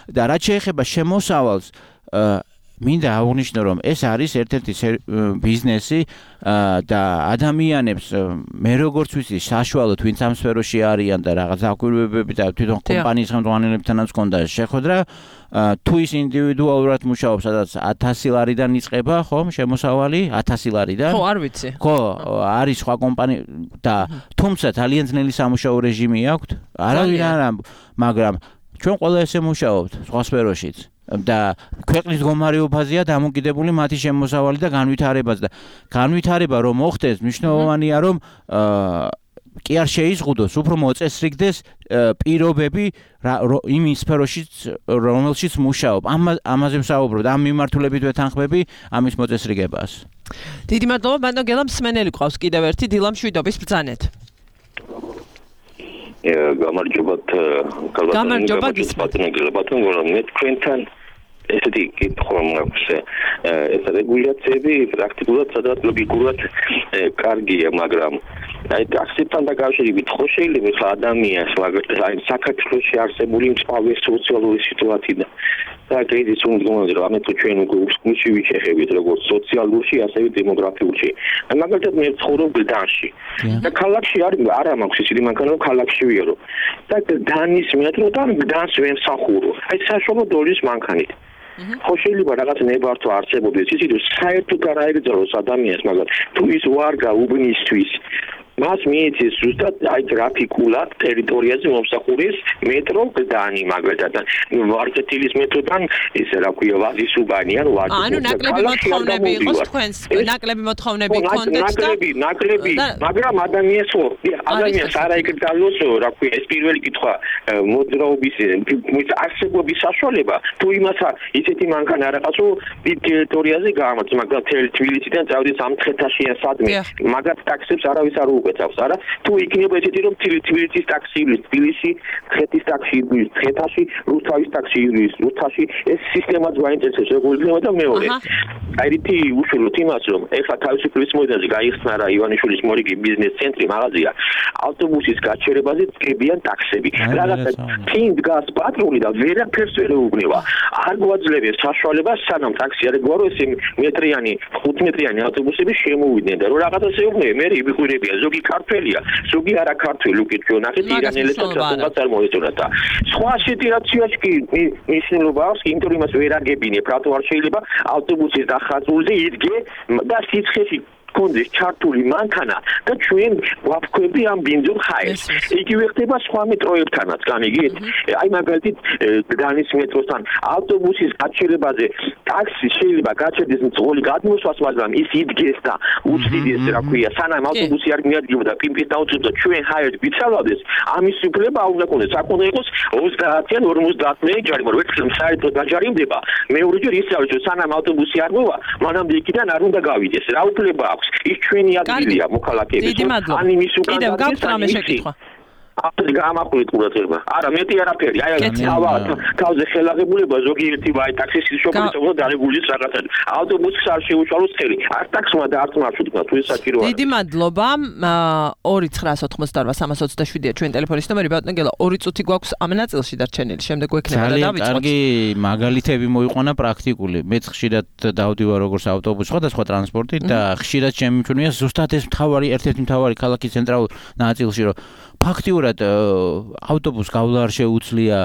და რაც შეეხება შემოსავალს, მინდა აღვნიშნო, რომ ეს არის ერთ-ერთი ბიზნესი და ადამიანებს მე როგორც ვიცი, საშუალოდ ვინც ამ სფეროში არიან და რაღაც აკვირვებები და თვითონ კომპანიის ხელმძღვანელებთანაც ჰქონდა შეხვედრა, თუ ის ინდივიდუალურად მუშაობს, სადაც 1000 ლარიდან იწყება, ხომ, შემოსავალი 1000 ლარიდან. ხო, არ ვიცი. ხო, არის სხვა კომპანია და თუმცა ძალიან ძნელი სამუშაო რეჟიმი აქვთ. არავინ არა, მაგრამ ჩვენ ყველა ესე მუშაობთ სხვა სფეროშიც. და ქვეყნის მდგომარეობაზეა დამოკიდებული მათი შემოსავალი და განვითარებაც და განვითარება რომ მოხდეს, მნიშვნელოვანია რომ კი არ შეიზღუდოს, უფრო მოწესრიგდეს პირობები იმ სფეროშიც, რომელშიც მუშაობ. ამაზე ვსაუბრობ, ამ მიმართულებით ვეთანხმები ამის მოწესრიგებას. დიდი მადლობა, ბატონო გელა, მსმენელი ყავს კიდევ ერთი დილა მშვიდობის ბრძანეთ. გამარჯობა ბატონო, მე თქვენთან ესეთი კითხვა მაქვს. ეს რეგულაციები პრაქტიკულად სადღაც ლოგიკურად კარგია, მაგრამ აი ტაქსებთან დაკავშირებით ხო შეიძლება ხა ადამიანს, აი საქართველოში არსებული მწვავე სოციალური სიტუაცია და კრიზის უნდომაზე რომ ამეთო ჩვენ უკუსკუში ვიჩეხებით როგორც სოციალურში, ასევე დემოგრაფიულში. მაგალითად მე ვცხოვრობ გდანში. და ქალაქში არა მაქვს ისეთი მანქანა რომ ქალაქში ვიარო. და გდანის მეტროდან გდანს ვემსახურო. აი საშუალო დოლის მანქანით. ხო შეიძლება რაღაც ნებართვა არსებობდეს ისიც რომ საერთოდ არ აიგზავნოს ადამიანს, მაგრამ თუ ის ვარ გაუბნისთვის მას მიეცეს ზუსტად აი გრაფიკულად ტერიტორიაზე მომსახურის მეტრო გდანი მაგალითად ვარდეთილის მეტროდან ისე რა ქვია ვაზისუბანი ან ვარდეთი. ანუ ნაკლები მოთხოვნები იყოს თქვენს, ნაკლები მოთხოვნები კონტექსტ და ნაკლები, მაგრამ ადამიანს არ აიგზავნოს რა ქვია ეს პირველი კითხვა მოძრაობის არსებობის საშუალება თუ იმას ისეთი მანქანა რაღაცო დიდ ტერიტორიაზე გამართ, მაგრამ თბილისიდან წავიდეს ამ თხეთაში ან სადმე, მაგათ ტაქსებს არავის არ უყეცავს, არა? თუ იქნება ესეთი რომ თბილისის ტაქსი ივლის თბილისში, თხეთის ტაქსი ივლის თხეთაში, რუსთავის ტაქსი ივლის რუსთავში, ეს სისტემაც გვაინტერესებს რეგულირება და მეორე. აი რითი უშუალოდ იმას რომ ეხლა თავისუფლის მოედანზე გაიხსნა რა ივანიშვილის მორიგი ბიზნეს ცენტრი მაღაზია, ავტობუსის გაჩერებაზე დგებიან ტაქსები. რაღაცა თინ დგას პატრული და ვერაფერს ვერ ეუბნება. არ გვაძლევს საშუალებას სანამ ტაქსი არ ეგუარო ეს მეტრიანი 5 მეტრიანი ავტობუსები შემოვიდნენ და რომ რაღაცას ეუბნები მე იბიყვირებია ზოგი ქართველია ზოგი არა ქართველი უკეთ ნახეთ ირანელებს თუნდაც არ მოეწონათ და სხვა სიტუაციაში კი მნიშვნელობა აქვს იმიტომ რომ იმას ვერ აგებინებ რატო არ შეიძლება ავტობუსის დახაზულზე იდგე და სიცხეში კონდეს ჩართული მანქანა და ჩვენ ვაფქვები ამ ბინძურ ხაერს. იგივე ხდება სხვა მეტროებთანაც, განიგეთ? აი მაგალითად გდანის მეტროსთან ავტობუსის გაჩერებაზე ტაქსი შეიძლება გაჩერდეს მძღოლი გადმოსვას, მაგრამ ის იდგეს და უცდიდეს რა ქვია, სანამ ავტობუსი არ მიადგება და პიმპის დაუწევდა ჩვენ ჰაერს ვიცალავდეს, ამის უფლება არ უნდა კონდეს, აქ უნდა იყოს 30-ან 50-მდე ჯარი, მაგრამ ერთხელ საერთოდ დაჯარიმდება, მეორეჯერ ისე რომ სანამ ავტობუსი არ მოვა, მანამდე იქიდან არ უნდა გავიდეს. რა უფლება აქვს? ის ჩვენი ადგილია მოქალაქეების. ან იმის უკან კიდევ გაქვთ რამე შეკითხვა? აბა გამაყურეთ ყურადღება. არა, მეტი არაფერი. აი თავზე ხელაღებულება ზოგიერთი ვაი ტაქსის შოპერს უნდა დარეგულირდეს რაღაცა. ავტობუსს არ შეუშალოს ხელი. არ ტაქსმა და არც მარშრუტმა თუ ეს საჭიროა. დიდი მადლობა. 2988-327-ია ჩვენი ტელეფონის ნომერი. ბატონო გელა, 2 წუთი გვაქვს ამ ნაწილში დარჩენილი. შემდეგ გვექნება და დავიწყოთ. კარგი მაგალითები მოიყვანა პრაქტიკული. მეც ხშირად დავდივარ როგორც ავტობუსში, სხვადასხვა ტრანსპორტით და ხშირად შემიმჩნია ზუსტად ეს ერთ-ერთი მთავარი ქალაქის ცენტრალურ ნაწილში, რომ ფაქტიურად ავტობუს გავლა არ შეუძლია,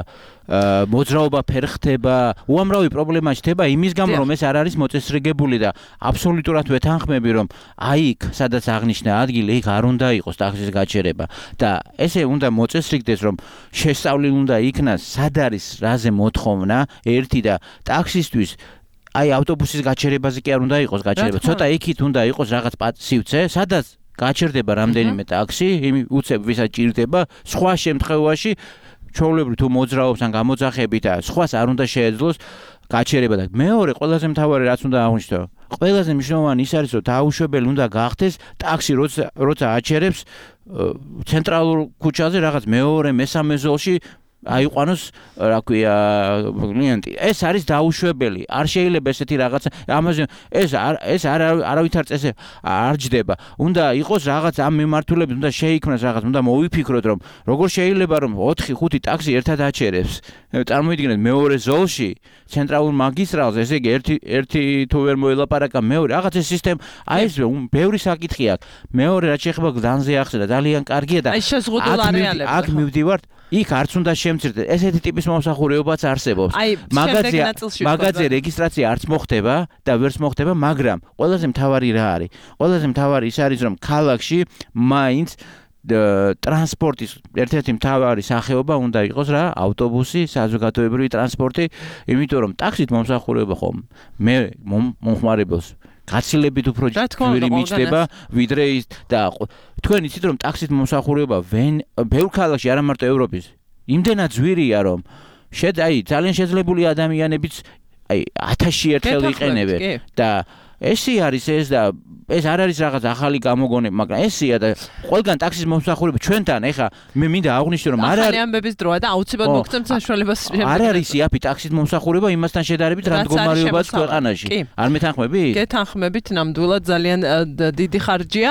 მოძრაობა ფერ ხდება, უამრავი პრობლემა ჩნდება იმის გამო, რომ ეს არ არის მოწესრიგებული და აბსოლუტურად ვეთანხმები, რომ აი იქ, სადაც აღნიშნა ადგილი, იქ არ უნდა იყოს ტაქსის გაჩერება და ესე უნდა მოწესრიგდეს, რომ შესწავლილი უნდა იქნას, სად არის რაზე მოთხოვნა, ერთი და ტაქსისტვის აი ავტობუსის გაჩერებაზე კი არ უნდა იყოს გაჩერება, ცოტა იქით უნდა იყოს რაღაც სივცე, სადაც გაჩერდება რამდენიმე ტაქსი, უცებ ვისაც ჭირდება, სხვა შემთხვევაში ჩვეულებრივ თუ მოძრაობს ან გამოძახებით და სხვას არ უნდა შეეძლოს გაჩერება და მეორე ყველაზე მთავარი რაც უნდა აღვნიშნო, ყველაზე მნიშვნელოვანი ის არის, რომ დაუშვებელი უნდა გახდეს ტაქსი როცა აჩერებს ცენტრალურ ქუჩაზე რაღაც მეორე, მესამე ზოლში აიყვანოს რა ქვია კლიენტი. ეს არის დაუშვებელი. არ შეიძლება ესეთი რაღაცა ამაზე ეს არავითარ წესზე არ ჯდება. უნდა იყოს რაღაც ამ მიმართულებით, უნდა შეიქმნას რაღაც, უნდა მოვიფიქროთ რომ როგორ შეიძლება რომ 4-5 ტაქსი ერთად აჩერებს. წარმოიდგინეთ მეორე ზოლში ცენტრალურ მაგისტრალზე, ესე იგი ერთი თუ ვერ მოელაპარაკა მეორე რაღაც ეს სისტემა, აი ეს ბევრი საკითხი აქვს. მეორე რაც შეეხება გზანზე ახსნა ძალიან კარგია და აქ მივდივართ იქ არც უნდა შემცირდეს. ესეთი ტიპის მომსახურებაც არსებობს. მაგაზე რეგისტრაცია არც მოხდება და ვერც მოხდება, მაგრამ ყველაზე მთავარი რა არის? ყველაზე მთავარი ის არის, რომ ქალაქში მაინც ტრანსპორტის ერთ-ერთი მთავარი სახეობა უნდა იყოს რა, ავტობუსი, საზოგადოებრივი ტრანსპორტი, იმიტომ რომ ტაქსით მომსახურება ხომ მე მომხმარებელს გაცილებით უფრო ძვირი მიჩნდება ვიდრე ის და თქვენ იცით რომ ტაქსით მომსახურება ბევრ ქალაქში არა მარტო ევროპის იმდენად ძვირია რომ ძალიან შეძლებული ადამიანებიც 1000 ერთხელ იყენებენ და ესე არის ეს და ეს არ არის რაღაც ახალი გამოგონება, მაგრამ ესეა და ყველგან ტაქსის მომსახურება ჩვენთან ეხა მე მინდა აღვნიშნო რომ არ არის ამბების დროა და აუცილებლად მოგცემ საშუალებას არ არის იაფი ტაქსის მომსახურება იმასთან შედარებით რა მდგომარეობაა ქვეყანაში არ მეთანხმებით? გეთანხმებით ნამდვილად ძალიან დიდი ხარჯია.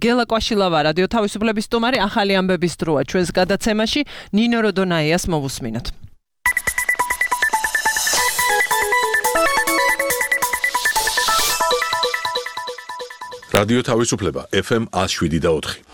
გელა კვაშილავა რადიო თავისუფლების სტუმარი ახალი ამბების დროა ჩვენს გადაცემაში ნინო როდონაიას მოვუსმინოთ. რადიო თავისუფლება FM 107.4.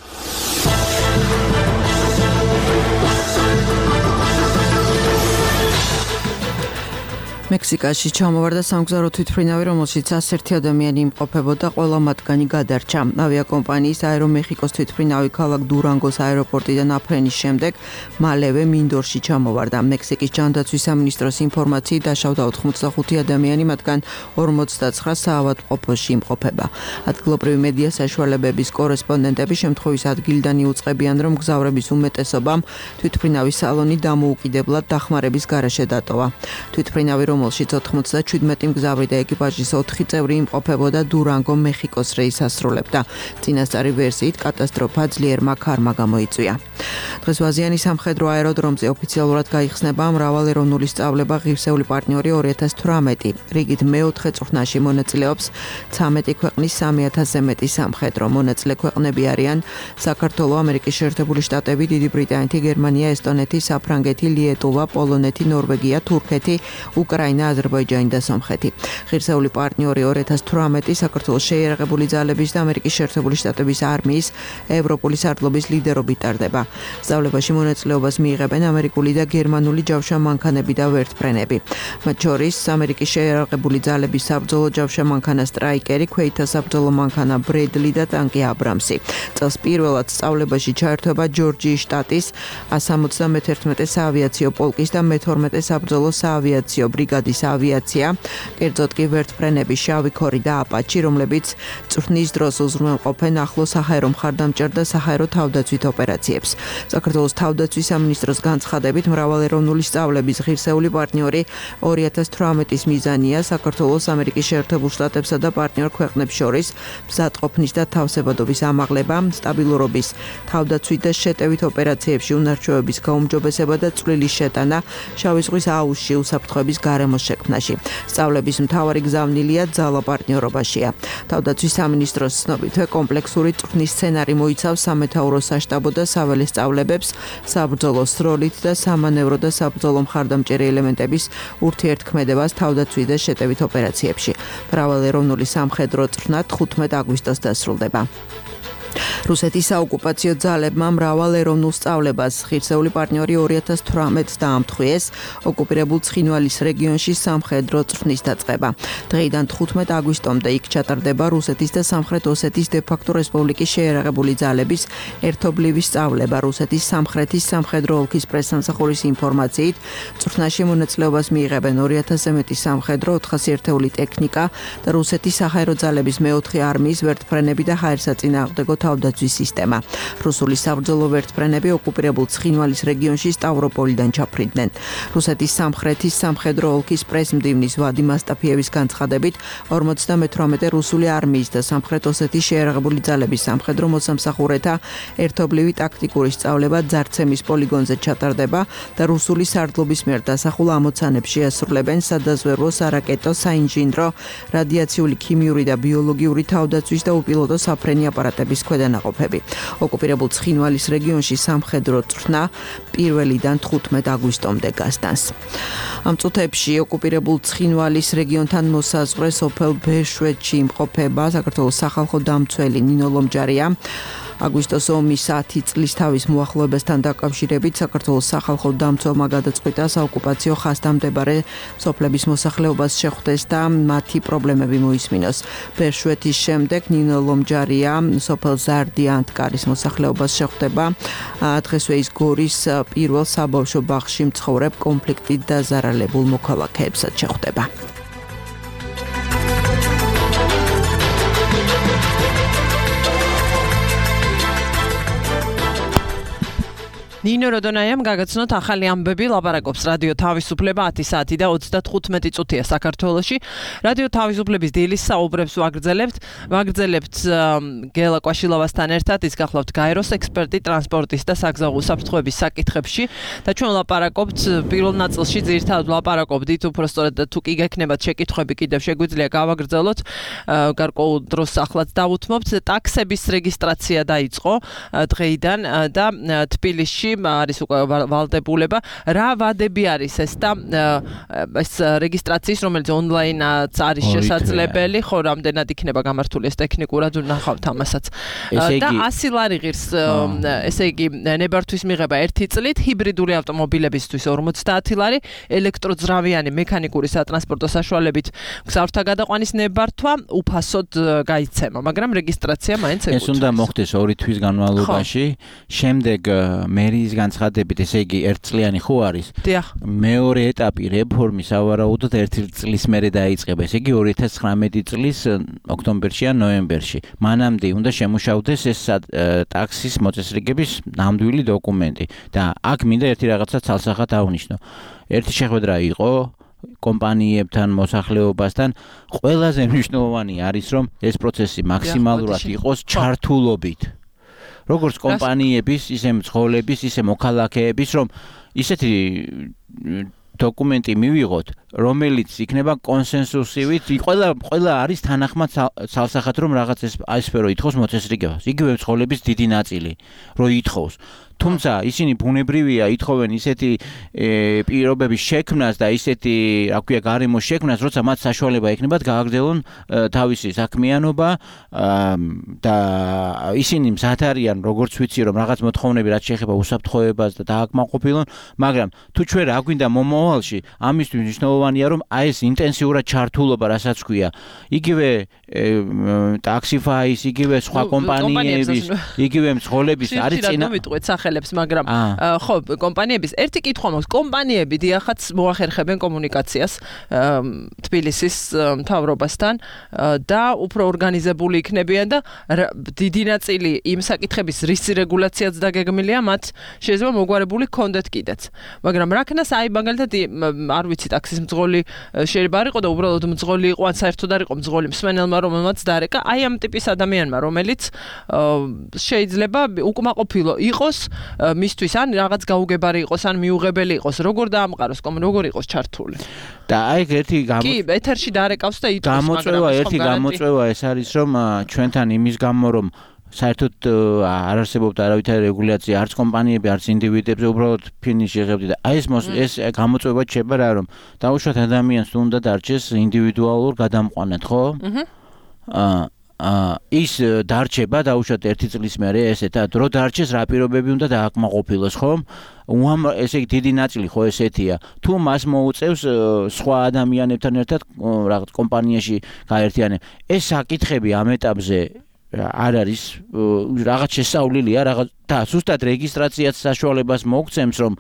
მექსიკაში ჩამოვარდა სამგზავრო თვითმფრინავი, რომელშიც 101 ადამიანი იმყოფებოდა, ყველა მათგანი გადარჩა. ავიაკომპანიის აერომეხიკოს თვითმფრინავი ქალაქ დურანგოს აეროპორტიდან აფრენის შემდეგ მალევე მინდორში ჩამოვარდა. მექსიკის ჯანდაცვის სამინისტროს ინფორმაციით დაშავდა 85 ადამიანი, მათგან 59 საავადმყოფოში იმყოფება. ადგილობრივი მედია საშუალებების კორესპონდენტები შემთხვევის ადგილიდან იუწყებიან, რომ მგზავრების უმეტესობამ თვითმფრინავის სალონი დამოუკიდებლად დახმარების გარეშე დატოვა. თვითმფრინავი რომელშიც 97 მგზავრი და ეკიპაჟის 4 წევრი იმყოფებოდა დურანგო მეხიკოს რეისს ასრულებდა. წინასწარი ვერსიით კატასტროფა ძლიერმა ქარმა გამოიწვია. დღეს ვაზიანი სამხედრო აეროდრომზე ოფიციალურად გაიხსნება მრავალეროვნული სწავლება ღირსეული პარტნიორი 2018. რიგით მე-4 წვრთნაში მონაწილეობს 13 ქვეყნის 3000-ზე მეტი სამხედრო. მონაწილე ქვეყნები არიან საქართველო, ამერიკის შეერთებული შტატები, დიდი ბრიტანეთი, გერმანია, ესტონეთი, საფრანგეთი, ლიეტუვა, პოლონეთი, ნორვეგია, თურქეთი, უკრაინა, აზერბაიჯანი და სომხეთი. ღირსეული პარტნიორი 2018 საქართველოს შეიარაღებული ძალების და ამერიკის შეერთებული შტატების არმიის ევროპული სარდლობის ლიდერობით ტარდება. სწავლებაში მონაწილეობას მიიღებენ ამერიკული და გერმანული ჯავშა მანქანები და ვერტმფრენები. მათ შორის ამერიკის შეიარაღებული ძალების საბრძოლო ჯავშა მანქანა სტრაიკერი, ქვეითთა საბრძოლო მანქანა ბრედლი და ტანკი აბრამსი. წელს პირველად სწავლებაში ჩაერთვება ჯორჯიის შტატის 171 საავიაციო პოლკის და მე-12 საბრძოლო საავიაციო ბრიგადის ავიაცია, კერძოდ კი ვერტმფრენები შავი ქორი და აპაჩი, რომლებიც წვრთნის დროს უზრუნველყოფენ ახლო საჰაერო მხარდამჭერ და საჰაერო თავდაცვით ოპერაციებს. საქართველოს თავდაცვის სამინისტროს განცხადებით მრავალეროვნული სწავლების ღირსეული პარტნიორი 2018-ის მიზანია საქართველოს ამერიკის შეერთებულ შტატებსა და პარტნიორ ქვეყნებს შორის მზადყოფნის და თავსებადობის ამაღლება, სტაბილურობის, თავდაცვით და შეტევით ოპერაციებში უნარჩვევების გაუმჯობესება და წვლილის შეტანა შავი ზღვის აუზში უსაფრთხოების გარემოს შექმნაში. სწავლების მთავარი გზავნილია ძალა პარტნიორობაშია. თავდაცვის სამინისტროს ცნობითვე კომპლექსური წვრთნის სცენარი მოიცავს სამეთაურო საშტაბო და საველე სწავლებებს, საბრძოლო სროლით და სამანევრო და საბრძოლო მხარდამჭერი ელემენტების ურთიერთქმედებას თავდაცვით და შეტევით ოპერაციებში. მრავალეროვნული სამხედრო წვრთნა 15 აგვისტოს დასრულდება. რუსეთის საოკუპაციო ძალებმა მრავალეროვნულ სწავლებას ღირსეული პარტნიორი 2018 დაამტყვიეს ოკუპირებულ ცხინვალის რეგიონში სამხედრო წვრთნის დაწყება. დღეიდან 15 აგვისტომდე იქ ჩატარდება რუსეთის და სამხრეთ ოსეთის დე-ფაქტო რესპუბლიკის შეიარაღებული ძალების ერთობლივი სწავლება. რუსეთის სამხრეთის სამხედრო ოლქის პრესსამსახურის ინფორმაციით, წვრთნაში მონაწილეობას მიიღებენ 2000-ზე მეტი სამხედრო, 400 ერთეული ტექნიკა და რუსეთის საჰაერო ძალების მე-4 არმიის ვერტმფრენები და ჰაერსაწინააღმდეგო თავდაცვის სისტემა. რუსული საბრძოლო ვერტმფრენები ოკუპირებულ ცხინვალის რეგიონში სტავროპოლიდან ჩაფრიდნენ. რუსეთის სამხრეთის სამხედრო ოლქის პრესმდივნის ვადიმ ასტაფიევის განცხადებით 58 რუსული არმიის და სამხრეთ ოსეთის შეიარაღებული ძალების სამხედრო მოსამსახურეთა ერთობლივი ტაქტიკური სწავლება ძარცემის პოლიგონზე ჩატარდება და რუსული სარდლობის მიერ დასახულ ამოცანებს შეასრულებენ სადაზვერვო, სარაკეტო, საინჟინრო, რადიაციული, ქიმიური და ბიოლოგიური თავდაცვის და უპილოტო საფრენი აპარატების ქვედანაყოფები. ოკუპირებულ ცხინვალის რეგიონში სამხედრო წვრთნა 1-დან 15 აგვისტომდე გასტანს. ამ წუთებში ოკუპირებულ ცხინვალის რეგიონთან მოსაზღვრე სოფელ ბერშვეთში იმყოფება საქართველოს სახალხო დამცველი ნინო ლომჯარია. აგვისტოს ომის 10 წლის თავის მოახლოებასთან დაკავშირებით საქართველოს სახალხო დამცველმა გადაწყვიტა საოკუპაციო ხაზთან მდებარე სოფლების მოსახლეობას შეხვდეს და მათი პრობლემები მოისმინოს. ბერშვეთის შემდეგ ნინო ლომჯარია სოფელ ზარდიანთკარის მოსახლეობას შეხვდება. დღესვე ის გორის პირველ საბავშვო ბაღში მცხოვრებ კონფლიქტით დაზარალებულ მოქალაქეებსაც შეხვდება. ნინო როდონაიამ გაგაცნოთ ახალი ამბები, ლაპარაკობს რადიო თავისუფლება 10 საათი და 35 წუთია საქართველოში. რადიო თავისუფლების დილის საუბრებს ვაგრძელებთ გელა კვაშილოვასთან ერთად, ის გახლავთ გაეროს ექსპერტი ტრანსპორტის და საგზაო უსაფრთხოების საკითხებში და ჩვენ ლაპარაკობთ პირველ ნაწილში ძირითადად ლაპარაკობდით, უпростоრად თუ კი გექნებათ შეკითხვები კიდევ შეგვიძლია გავაგრძელოთ, გარკვეულ დროს ახლაც დავუთმობთ. ტაქსების რეგისტრაცია დაიწყო დღეიდან და თბილისში არის უკვე ვალდებულება. რა ვადები არის ეს და ეს რეგისტრაციის, რომელიც ონლაინაც არის შესაძლებელი, ხო, რამდენად იქნება გამართული ეს ტექნიკურად ვნახავთ ამასაც. და 100 ლარი ღირს, ესე იგი, ნებართვის მიღება 1 წლით, ჰიბრიდული ავტომობილებისთვის 50 ლარი, ელექტროძრავიანი მექანიკური სატრანსპორტო საშუალებით მგზავრთა გადაყვანის ნებართვა უფასოდ გაიცემა, მაგრამ რეგისტრაცია მაინც ეკუთვნის. ეს უნდა მოხდეს 2 თვის განმავლობაში, შემდეგ მერიის განცხადებით, ესე იგი 1 წლიანი ხო არის? დიახ. მეორე ეტაპი რეფორმის ავარაუდოდ 1 წლის მერე დაიწყება. ესე იგი 2019 წლის ოქტომბერში ან ნოემბერში. მანამდე უნდა შემუშავდეს ეს ტაქსის მოწესრიგების ნამდვილი დოკუმენტი და აქ მინდა ერთი რაღაცა ცალსახად აღვნიშნო. ერთი შეხვედრა იყო კომპანიებთან, მოსახლეობასთან. ყველაზე მნიშვნელოვანი არის, რომ ეს პროცესი მაქსიმალურად იყოს ჩართულობით. როგორც კომპანიების, ისე მძღოლების, ისე მოქალაქეების, რომ ისეთი დოკუმენტი მივიღოთ, რომელიც იქნება კონსენსუსივით, ყველა არის თანახმად ცალსახად, რომ რაღაც ესფერო ითხოვს მოწესრიგებას. იგივე მძღოლების დიდი ნაწილი, რო ითხოვს. თუმცა ისინი ბუნებრივია ითხოვენ ისეთი პირობების შექმნას და ისეთი, რა ქვია, გარემოს შექმნას, როცა მათ საშუალება ექნებათ გააგრძელონ თავისი საქმიანობა და ისინი მზად არიან, როგორც ვიცი, რომ რაღაც მოთხოვნები რაც შეეხება უსაფრთხოებას და დააკმაყოფილონ, მაგრამ თუ ჩვენ რა გვინდა მომავალში, ამისთვის მნიშვნელოვანია, რომ აი ეს ინტენსიურად ჩართულობა, რასაც ქვია, იგივე ტაქსიფაის, იგივე სხვა კომპანიების, იგივე მძღოლების არის წინა ხელებს, მაგრამ ხო, კომპანიების ერთი კითხვა მაქვს, კომპანიები დიახაც მოახერხებენ კომუნიკაციას თბილისის მთავრობასთან და უფრო ორგანიზებული იქნებიან და დიდი ნაწილი იმ საკითხების რის რეგულაციაც დაგეგმილია, მათ შეიძლება მოგვარებული ჰქონდეთ კიდეც. მაგრამ რაკნას აი მაგალითად არ ვიცი, ტაქსის მძღოლი შეიძლება არ იყო და უბრალოდ მძღოლი იყო, ან საერთოდ არ იყო მძღოლი მსმენელმა, რომელმაც დარეკა, აი ამ ტიპის ადამიანმა, რომელიც შეიძლება უკმაყოფილო იყოს მისთვის ან რაღაც გაუგებარი იყოს ან მიუღებელი იყოს, როგორ დაამყაროს, როგორ იყოს ჩართული. და აი ერთი კი, ეთერში დარეკავს და იტყვის, მაგრამ ერთი გამოწვევა ეს არის, რომ ჩვენთან იმის გამო, რომ საერთოდ არ არსებობდა არავითარი რეგულაცია, არც კომპანიები, არც ინდივიდებზე, უბრალოდ ფინიში იღებდი და აი ეს გამოწვევა შეება რა, რომ დაუშვათ ადამიანს უნდა დარჩეს ინდივიდუალურ გადამყვანად, ხო? ის დარჩება დაუშვათ 1 წლის მერე ესეთად, რო დარჩეს რა პირობები უნდა დააკმაყოფილოს, ხო? ესე იგი დიდი ნაწილი ხო ესეთია. თუ მას მოუწევს სხვა ადამიანებთან ერთად რაღაც კომპანიაში გაერთიანება. ეს საკითხები ამ ეტაპზე არ არის რაღაც შესწავლილია, რაღაც და ზუსტად რეგისტრაციაც საშუალებას მოგცემს, რომ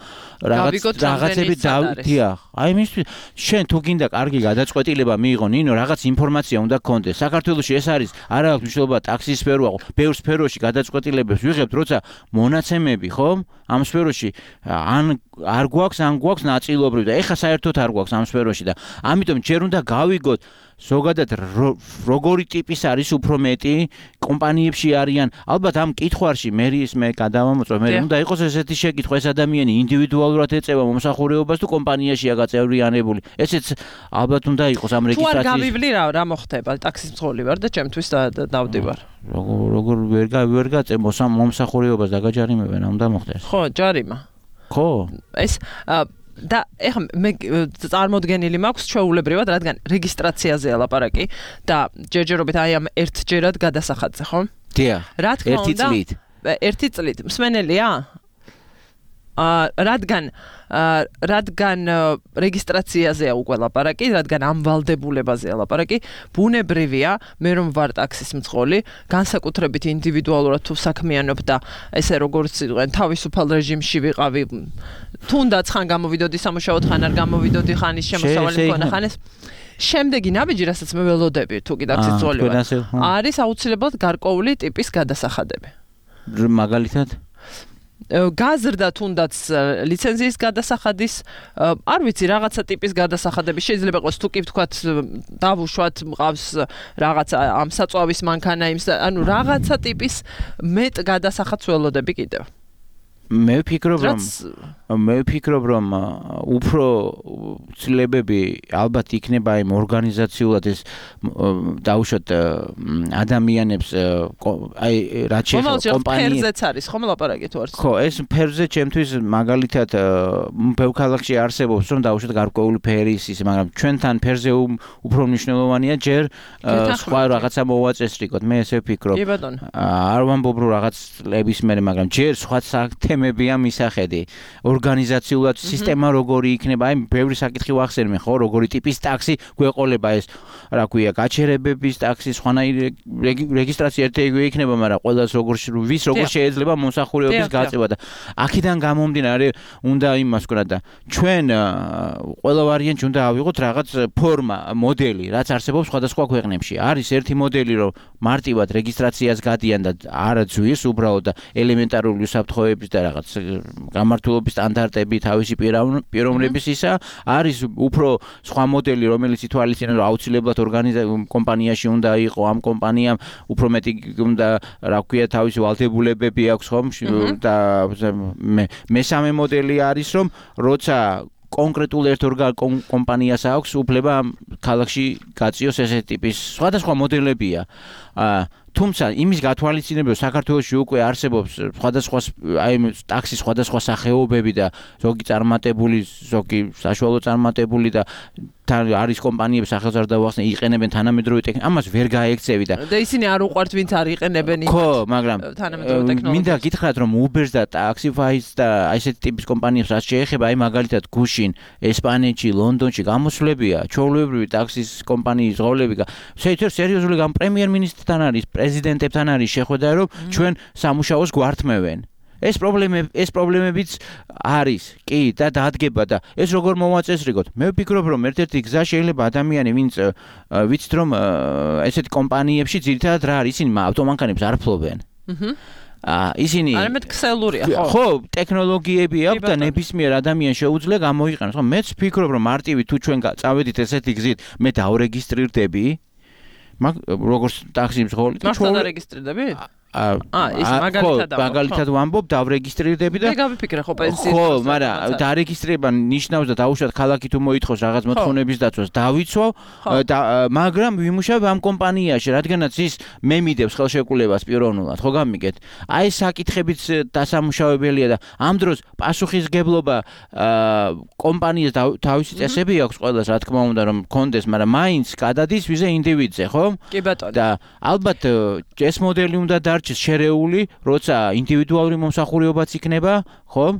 რაღაცები დიახ. აი მის შენ თუ გინდა კარგი გადაწყვეტილება მიიღო ნინო, რაღაც ინფორმაცია უნდა გქონდეს. საქართველოში ეს არის არა აქვს მნიშვნელობა ტაქსის სფერო, ბევრ სფეროში გადაწყვეტილებებს ვიღებთ, როცა მონაცემები, ხო? ამ სფეროში ან არ გვაქვს, ან გვაქვს ნაწილობრივ და ეხა საერთოდ არ გვაქვს ამ სფეროში და ამიტომ ჯერ უნდა გავიგოთ ზოგადად როგორი ტიპის არის უფრო მეტი კომპანიებში არიან ალბათ ამ კითხვაში მე გადავამოწმე მე უნდა იყოს ესეთი შეკითხვა ეს ადამიანი ინდივიდუალურად ეწევა მომსახურეობას თუ კომპანიაშია გაწევრიანებული ესეც ალბათ უნდა იყოს ამ რეგისტრაციის თუ არ გავივლი რა მოხდება ტაქსის მძღოლი ვარ და ჩემთვის დავდივარ როგორ ვერ გაწევ მომსახურეობას დაგაჯარიმებენ ამ უნდა მოხდეს ხო ჯარიმა ხო ეს და ეხლა მე წარმოდგენილი მაქვს ჩვეულებრივად რადგან რეგისტრაციაზე ლაპარაკი და ჯერჯერობით აი ამ ერთჯერად გადასახადზე ხო? დიახ. რა თქმა უნდა ერთი წლით მსმენელია? რადგან რეგისტრაციაზეა უკვე ლაპარაკი, რადგან ამ ვალდებულებაზეა ლაპარაკი, ბუნებრივია, მე რომ ვარ ტაქსის მძღოლი, განსაკუთრებით ინდივიდუალურად თუ საქმიანობ და ესე როგორც იყვენ თავისუფალ რეჟიმში ვიყავი, თუნდაც ხან გამოვიდოდი სამუშაოდ, ხან არ გამოვიდოდი, ხან ის შემოსავალი მქონა, ხან ეს შემდეგი ნაბიჯი, რასაც მე ველოდები, თუ კი ტაქსის მძღოლი ვარ, არის აუცილებლად გარკვეული ტიპის გადასახადები. მაგალითად გაზრდა თუნდაც ლიცენზიის გადასახადის არ ვიცი რაღაცა ტიპის გადასახადები შეიძლება იყოს თუ კი ვთქვათ დავუშვათ მყავს რაღაცა ამ საწვავის მანქანა იმ ანუ რაღაცა ტიპის მეტ გადასახადს ველოდები კიდევ მე ვფიქრობ რომ უფრო ცლებები ალბათ იქნება იმ ორგანიზაციულად ეს დაუშვათ ადამიანებს აი რაც შეეხება კომპანიებს ფერზეც არის ხომ ლაპარაკი თუ არც ხო ეს ფერზე ჩემთვის მაგალითად ბევრ ქალაქში არსებობს რომ დაუშვათ გარკვეული ფერის ის მაგრამ ჩვენთან ფერზე უფრო მნიშვნელოვანია ჯერ სხვა რაღაცა მოვაწესრიგოთ მე ესე ვფიქრობ არ ვამბობ რომ რაღაც ნებისმიერი მაგრამ ჯერ სხვა თემებია მისახედი ორგანიზაციულად სისტემა როგორი იქნება აი ბევრი საკითხი ვახსენე ხო როგორი ტიპის ტაქსი გვეყოლება ეს რა ქვია გაჩერებების ტაქსი სხვანაირი რეგისტრაცია ერთეიგივე იქნება მაგრამ ყველას როგორ შეიძლება მომსახურეობის გაწევა და აქედან გამომდინარე უნდა იმას ვქნა და ჩვენ ყველა ვარიანტი უნდა ავიღოთ რაღაც ფორმა მოდელი რაც არსებობს სხვადასხვა ქვეყნებში არის ერთი მოდელი რომ მარტივად რეგისტრაციას გადიან და არ ძვის უბრალოდ და ელემენტარული უსაფრთხოების და რაღაც გამართულობის სტანდარტები თავისი პიროვნების ისა არის უფრო სხვა მოდელი რომელიც ითვალისწინებს რომ აუცილებლად კომპანიაში უნდა იყო ამ კომპანიამ უფრო მეტი უნდა რა ქვია თავისი ვალდებულებები აქვს ხომ და მესამე მოდელი არის რომ როცა კონკრეტულ ერთ კომპანიას აქვს უფლება ქალაქში გაწიოს ესეთი ტიპის სხვადასხვა მოდელებია თუმცა იმის გათვალისწინებელია საქართველოში უკვე არსებობს სხვადასხვა აი ტაქსის სხვადასხვა სახეობები და ზოგი წარმატებული ზოგი საშუალო წარმატებული და არის კომპანიების სახელს არ დავახსნე იყენებენ თანამედროვე ტექნიკას ამას ვერ გაექცევი და ისინი არ უყვართ ვინც არ იყენებენ ხო მაგრამ თანამედროვე ტექნოლოგიას მინდა გითხრათ რომ Uber-ს და Taxify-ს და აი ესეთი ტიპის კომპანიებს რაც შეეხება აი მაგალითად გუშინ ესპანეთში ლონდონში გამოსვლებია ჩვეულებრივი ტაქსის კომპანიის ღოლები სერიოზული გამ პრემიერ-მინისტრთან არის პრეზიდენტებთან არის შეხვედრა რომ ჩვენ სამუშაოს გვართმევენ ეს პრობლემებიც არის კი და დადგება და ეს როგორ მოვაწესრიგოთ მე ვფიქრობ რომ ერთ-ერთი გზა შეიძლება ადამიანი ვინც ვიცით რომ ესეთ კომპანიებში ძირითადად რა არის ისინი ავტომანქანებს არ ფლობენ ისინი არამედ ქსელურია ხო ტექნოლოგიები აქვს და ნებისმიერ ადამიანს შეუძლია გამოიყენოს ხო მეც ვფიქრობ რომ მარტივი თუ ჩვენ წავედით ესეთი გზით მე დავრეგისტრირდები როგორც ტაქსის მძღოლი და ჩვენ რეგისტრირდები ის მაგალითად ვამბობ დავრეგისტრირდები და მე გავიფიქრე ხო პენსიის ხო მაგრამ დარეგისტრირება ნიშნავს და დაუშვათ ქალაქი თუ მოითხოვს რაღაც მოთხოვნების დაცვას დავიცვავ მაგრამ ვიმუშავებ ამ კომპანიაში რადგანაც ის მე მიდევს ხელშეკრულებას პიროვნულად ხო გამიგეთ აი საკითხებიც დასამუშავებელია და ამ დროს პასუხისგებლობა კომპანიას თავისი წესები აქვს ყველას რა თქმა უნდა რომ კონდეს მაგრამ მაინც გადადის ვიზე ინდივიდზე ხო კი ბატონო და ალბათ ეს მოდელი უნდა შერეული, როცა ინდივიდუალური მომსახურებაც იქნება, ხო?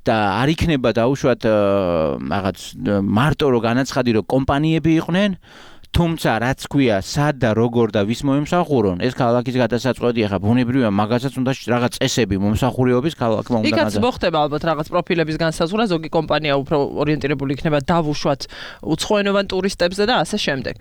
და არ იქნება დაუშვათ რაღაც მარტო რო განაცხადი რომ კომპანიები იყვნენ თუმცა რაც ქვია, სად და როგორ და ვის მოემსახურონ, ეს ქალაქის გადასაწყვეტია, ხა ბუნებრივია, მაგასაც უნდა რაღაც წესები მომსახურებების ქალაქმა უნდა იქაც მოხდება ალბათ რაღაც პროფილების განსაზღვრა, ზოგი კომპანია უფრო ორიენტირებული იქნება დავუშვათ უცხოენოვან ტურისტებზე და ასე შემდეგ.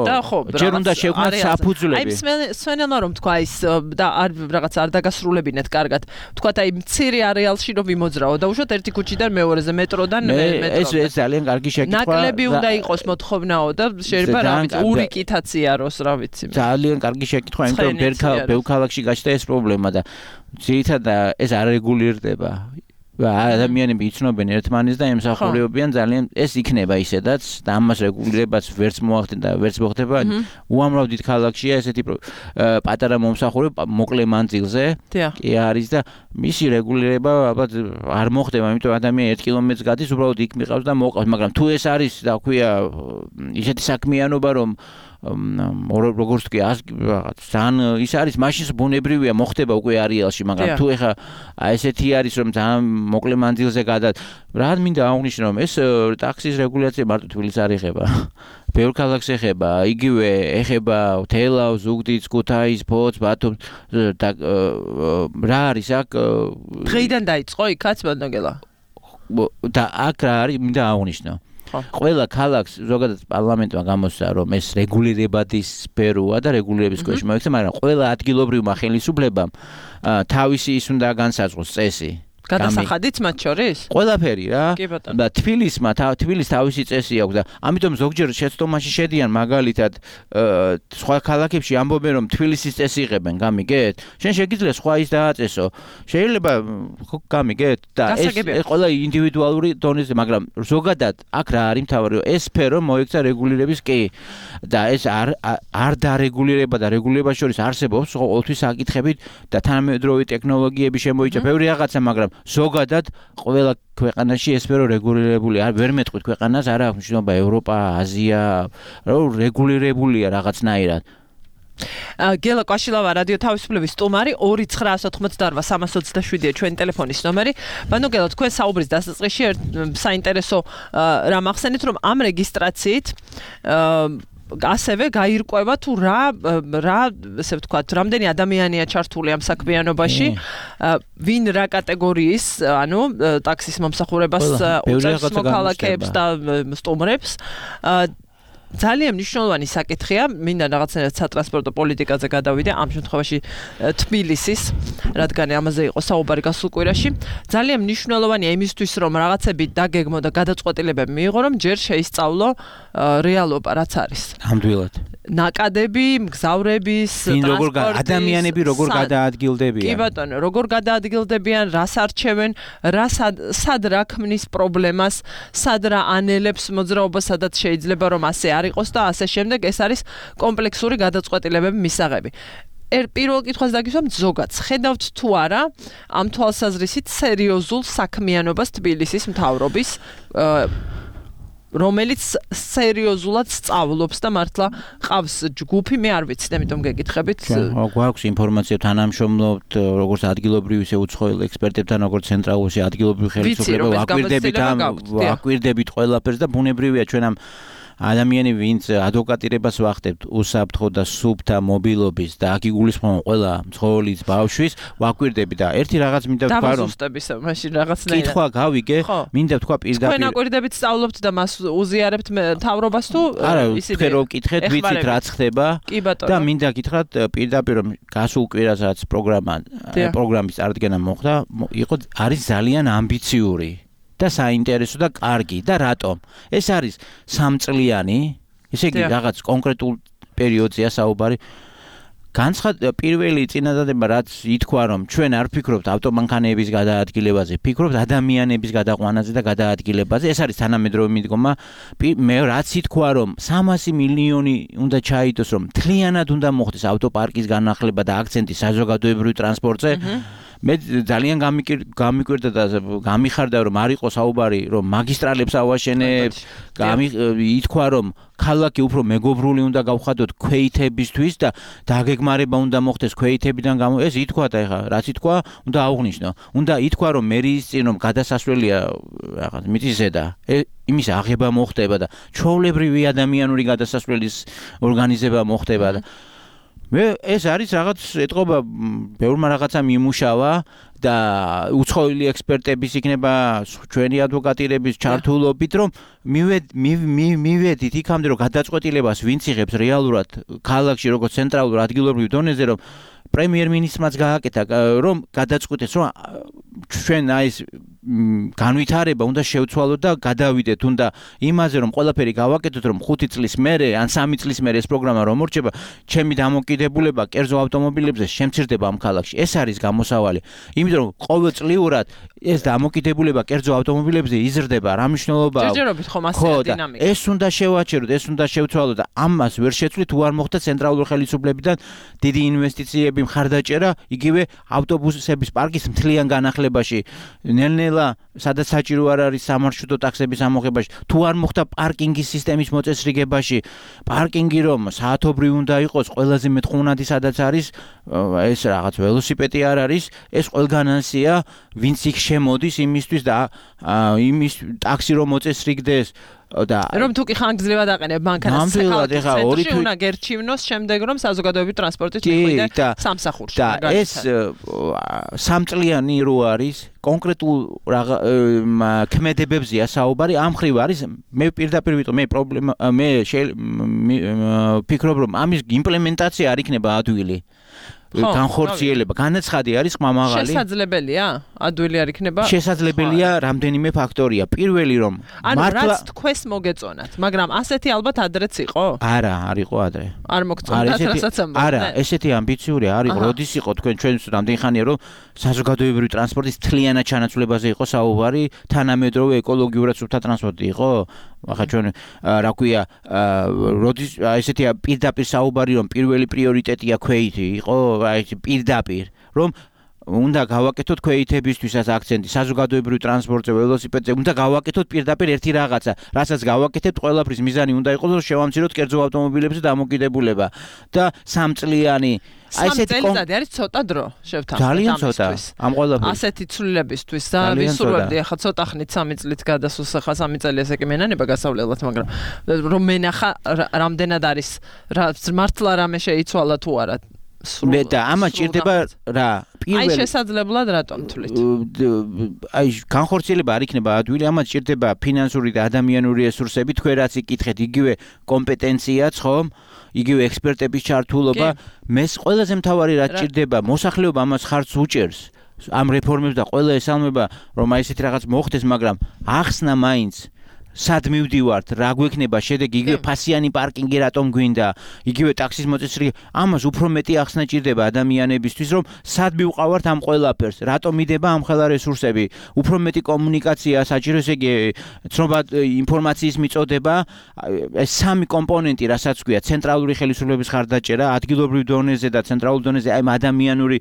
და ხო, ჯერ უნდა შევქმნათ საფუძვლები. აი სვენელმა რომ თქვა ის და რაღაც არ დაგასრულებინეთ კარგად. თქვათ აი მცირე არეალში რომ ვიმოძრაო და უშოთ ერთი ქუჩიდან მეორეზე მეტროდან მეტროდან. ეს ძალიან კარგი შეკითხვა. ნაკლები უნდა იყოს მოთხოვნაო და შეიძლება რა ვიცი ურიკითაც იაროს რა ვიცი. ძალიან კარგი შეკითხვა, იმიტომ ბევრ ქალაქში გაჩნდა ეს პრობლემა და ძირითადად ეს არ რეგულირდება. ადამიანები იცნობენ ერთმანეთს და ემსახურებიან ძალიან ეს იქნება ისედაც და ამას რეგულირებას ვერც მოახდენ და ვერც მოხდება უამრავ დიდ ქალაქშია ესეთი პატარა მომსახურება მოკლე მანძილზე კი არის და მისი რეგულირება ალბათ არ მოხდება იმიტომ ადამიანი 1 კილომეტრს გადის უბრალოდ იქ მიყავს და მოყავს მაგრამ თუ ეს არის და ქვია ისეთი საქმიანობა რომ როგორც კი ძალიან ის არის მაშინ ბუნებრივია მოხდება უკვე არეალში მაგრამ თუ ეხა ესეთი არის რომ ძალიან მოკლე მანძილზე გადა რა მინდა აღვნიშნო რომ ეს ტაქსის რეგულაცია მარტო თბილისს არ ეხება ბევრ ქალაქს ეხება იგივე ეხება თელავს ზუგდიდს ქუთაისს ფოთს ბათუმს და რა არის აქ დღეიდან დაიწყო იქაც ბანდაგელა და აქ რა არის მინდა აღვნიშნო ყველა ქალაქს ზოგადად პარლამენტმა გამოსცა რომ ეს რეგულირებადის სფეროა და რეგულირების ქვეშ მოიქცა, მაგრამ ყველა ადგილობრივმა ხელისუფლებამ თავისი ის უნდა განსაზღვროს წესი. გადასახადიც მათ შორის? ყველაფერი რა. და თბილის თავისი წესი აქვს და ამიტომ ზოგჯერ შეცდომაში შედიან მაგალითად სხვა ქალაქებში ამბობენ რომ თბილისის წესი იღებენ, გამიგეთ? შენ შეგიძლია სხვა ის დააწესო. შეიძლება გამიგეთ? და ეს ყველა ინდივიდუალური დონეზე, მაგრამ ზოგადად აქ რა არის მთავარი, ეს სფერო მოიქცა რეგულირების კი და ეს არ დარეგულირება და რეგულირებას შორის არსებობს ყოველთვის საკითხები და თანამედროვე ტექნოლოგიები შემოიჭრა ბევრი რაღაცა, მაგრამ ზოგადად ყველა ქვეყანაში ეს სფერო რეგულირებული არ ვერ მეტყვით ქვეყანას არა აქვს მნიშვნელობა ევროპა, აზია, რომ რეგულირებულია რაღაცნაირად. გელა კვაშილავა რადიო თავისუფლების სტუმარი 2988327-ია ჩვენი ტელეფონის ნომერი. ბანო გელა თქვენ საუბრის დასაწყისში საინტერესო რამ ახსენეთ რომ ამ რეგისტრაციით ასევე გაირკვევა თუ რა ესე ვთქვათ, რამდენი ადამიანია ჩართული ამ საქმიანობაში, ვინ რა კატეგორიის, ანუ ტაქსის მომსახურებას უწევს მოქალაქეებს და სტუმრებს. ძალიან მნიშვნელოვანი საკითხია, მინდა რაღაცნაირად სატრანსპორტო პოლიტიკაზე გადავიდე, ამ შემთხვევაში თბილისის, რადგან ამაზე იყო საუბარი გასულ კვირაში. ძალიან მნიშვნელოვანია იმისთვის, რომ რაღაცები დაგეგმო და გადაწყვეტილებები მიიღო, რომ ჯერ შეისწავლო რეალობა, რაც არის. ნამდვილად. ნაკადები, მგზავრების, ტრანსპორტის, ადამიანები როგორ გადაადგილდებიან. კი ბატონო, როგორ გადაადგილდებიან, რას არჩევენ, სად რა ქმნის პრობლემას, სად რა ანელებს მოძრაობას, სადაც შეიძლება რომ ასე არ იყოს და ასე შემდეგ, ეს არის კომპლექსური გადაწყვეტილებების მისაღები. პირველ კითხვას დაგისვამ ზოგადად ხედავთ თუ არა ამ თვალსაზრისით სერიოზულ საქმიანობას თბილისის მთავრობის რომელიც სერიოზულად სწავლობს და მართლა ყავს ჯგუფი, მე არ ვიცი, ამიტომ გეკითხებით. გვაქვს ინფორმაცია თანამშრომლობთ როგორც ადგილობრივი ისე უცხოელ ექსპერტებთან, როგორც ცენტრალურში ადგილობრივი ხელისუფლება, ვაკვირდებით ყველაფერს და ბუნებრივია ჩვენ ამ ადამიანები ვინც ადვოკატირებას ვახდებთ უსაფრთხო და სუფთა მობილობის და აქ იგულისხმება ყველა მცხოვრის ბავშვის ვაკვირდები და ერთი რაღაც მინდა ვთქვა რომ დავუსტებისა მაშინ რაღაცნაირად კითხვა გავიგე მინდა ვთქვა პირდაპირ თქვენ აკვირდებით სწავლობთ და მას უზიარებთ მთავრობას თუ ისინი რო ვკითხეთ ვიცით რაც ხდება და მინდა გითხრათ პირდაპირ რომ გასულ კვირას რაც პროგრამის წარდგენა მოხდა იყო არის ძალიან ამბიციური და საინტერესო და კარგი და რატომ? ეს არის 3 წლიანი, ესე იგი რაღაც კონკრეტულ პერიოდზეა საუბარი. პირველი წინადადება რაც ითქვა რომ ჩვენ არ ფიქრობთ ავტომანქანების გადაადგილებაზე, ფიქრობთ ადამიანების გადაყვანაზე და გადაადგილებაზე. ეს არის თანამედროვე მიდგომა. მე რაც ითქვა რომ 300 მილიონი უნდა ჩაიდოს რომ მთლიანად უნდა მოხდეს ავტოპარკის განახლება და აქცენტი საზოგადოებრივ ტრანსპორტზე. მე ძალიან გამიკვირდა და გამიხარდა რომ არ იყო საუბარი რომ მაგისტრალებს ავაშენებ, ითქვა რომ ქალაქი უფრო მეგობრული უნდა გავხადოთ ქვეითებისთვის და დაგეგმარება უნდა მოხდეს ქვეითებიდან გამო ეს ითქვა და ეხა რაც ითქვა უნდა აღვნიშნო. უნდა ითქვა რომ მერიის წინ რომ გადასასვლელია რაღაც მიწის ზედა იმის აღება მოხდება და ჩვეულებრივი ადამიანური გადასასვლელის ორგანიზება მოხდება და მე ეს არის რაღაც ეთყობა ბევრმა რაღაცამ იმუშავა და უცხოელი ექსპერტების იქნება ჩვენი ადვოკატირების ჩართულობით რომ მივედით იქამდე რომ გადაწყვეტილებას ვინც იღებს რეალურად ქალაქში როგორც ცენტრალურ ადგილობრივ დონეზე რომ პრემიერ-მინისტრმაც გააკეთა რომ გადაწყვეტეს რომ ჩვენ აი ეს განვითარება უნდა შევცვალოთ და გადავიდეთ უნდა იმაზე რომ ყველაფერი გავაკეთოთ რომ 5 წლის მერე ან 3 წლის მერე ეს პროგრამა რომ მორჩება ჩემი დამოკიდებულება კერძო ავტომობილებზე შემცირდება ამ ქალაქში ეს არის გამოსავალი იმიტომ რომ ყოველწლიურად ეს დამოკიდებულება კერძო ავტომობილებზე იზრდება რა მნიშვნელობაა ჯერჯერობით ხომ ასეა დინამიკა ეს უნდა შევაჩეროთ ეს უნდა შევცვალოთ და ამას ვერ შეცვლით თუ არ მოხდა ცენტრალურ ხელისუფლებიდან დიდი ინვესტიციები მხარდაჭერა იგივე ავტობუსების პარკის მთლიან განახლებაში ნელ-ნელა სადაც საჭირო არ არის სამარშრუტო ტაქსების ამოღებაში თუ არ მოხდა პარკინგის სისტემის მოწესრიგებაში პარკინგი რომ საათობრივ უნდა იყოს ყველაზე მეტყუნადი სადაც არის ეს რაღაც ველოსიპედი არ არის ეს ყველგანანსია ვინც იქ შემოდის იმისთვის და იმის ტაქსი რომ მოწესრიგდეს და რომ თუ კი ხანგრძლივად აყენებ მანქანას ცენტრში უნდა გერჩივნოს შემდეგ რომ საზოგადოებრივი ტრანსპორტით მიხვიდე სამსახურში და ეს სამწლიანი რო არის კონკრეტულ ქმედებებზეა საუბარი ამ ხრივ არის მე პირდაპირ ვიტყვი მე პრობლემა მე ფიქრობ რომ ამის იმპლემენტაცია არ იქნება ადვილი განხორციელება განაცხადი არის ყმამაღალი შესაძლებელია ადვილი არ იქნება შესაძლებელია რამდენიმე ფაქტორია პირველი რომ მართლა რაც თქვენს მოგეწონათ მაგრამ ასეთი ალბათ ადრეც იყო არა არ იყო ადრე არ მოგწონათ რასაც ამბობ არა ესეთი ამბიციური არ იყო როდის იყო თქვენ ჩვენს რამდენი ხანია რომ საზოგადოებრივი ტრანსპორტის თლიანად ჩანაცვლებაზე იყო საუბარი თანამედროვე ეკოლოგიურად სუფთა ტრანსპორტი იყო ახლა ჩვენ რა ქვია როდის ესეთია პირდაპირ საუბარი რომ პირველი პრიორიტეტია ქვეითი იყო აი პირდაპირ რომ უნდა გავაკეთოთ ქვეითებისთვისაც აქცენტი საზოგადოებრივ ტრანსპორტზე ველოსიპედზე უნდა გავაკეთოთ პირდაპირ ერთი რაღაცა რასაც გავაკეთებთ ყველაფრის მიზანი უნდა იყოს რომ შევამციროთ კერძო ავტომობილებზე დამოკიდებულება და სამწლიანი აი ესეთი წელიწადი არის ცოტა დრო შევთავაზეთ ძალიან ცოტა ამ ყველაფერს ასეთი ცვლილებისთვის და ვისურვებდი ახლა ცოტა ხნით 3 წლით გადასულს ახლა 3 წელი ესე კი მენანება გასავლელად მაგრამ რომ მენახა რამდენად არის მართლა რამე შეიცვალა თუ არა მე და ამას ჭირდება რა პირველი აი შესაძლებლად რატომ თვლით აი განხორციელება არ იქნება ადვილი ამას ჭირდება ფინანსური და ადამიანური რესურსები თქვენ რაც იკითხეთ იგივე კომპეტენციაც ხომ იგივე ექსპერტების ჩართულობა მე ყველაზე მთავარი რაც ჭირდება მოსახლეობა ამას ხარჯს უჭერს ამ რეფორმებს და ყველა ესალმება რომ აი ესეთი რაღაც მოხდეს მაგრამ ახსნა მაინც სად მივდივართ რა გვექნება შედეგი იგივე ფასიანი პარკინგი რატომ გვინდა იგივე ტაქსის მოწესრიგება ამას უფრო მეტი ახსნა ჭირდება ადამიანებისთვის რომ სად მივყავართ ამ ყველაფერს რატომ მიდება ამ ხელა რესურსები უფრო მეტი კომუნიკაცია საჭირო ესე იგი ცნობა ინფორმაციის მიწოდება ეს სამი კომპონენტი რასაც ქვია ცენტრალური ხელისუფლების ხარდაჭერა ადგილობრივ დონეზე და ცენტრალურ დონეზე აი ადამიანური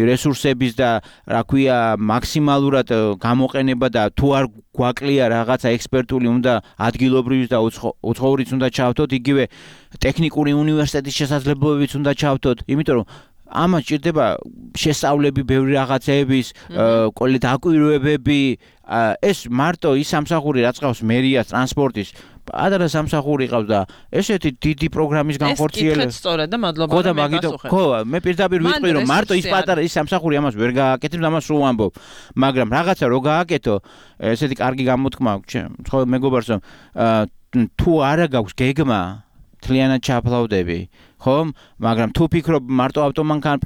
რესურსების და რა ქვია მაქსიმალურად გამოყენება და თუ არ გვაკლია რაღაცა ექსპერტული უნდა ადგილობრივის და უცხოურიც უნდა ჩავთოთ იგივე ტექნიკური უნივერსიტეტის შესაძლებლობებიც უნდა ჩავთოთ იმიტომ რომ ამას ჭირდება შესწავლები ბევრი რაღაცეების დაკვირვებები ეს მარტო ის სამსახური რაც ყავს მერიას ტრანსპორტის ადრე სამსახური ყავს და ესეთი დიდი პროგრამის განხორციელება ეს სწორად და მადლობა რომ მეკასუხეთ ხო მე პირდაპირ ვიტყვი რომ მარტო ის პატარა ის სამსახური ამას ვერ გააკეთებ და ამას სულ ამბობ მაგრამ რაღაცა რო გააკეთო ესეთი კარგი გამოთქმა ხო მეგობარს რომ თუ არა გაქვს გეგმა თლიანად ჩაფლავდები ხომ მაგრამ თუ ფიქრობ მარტო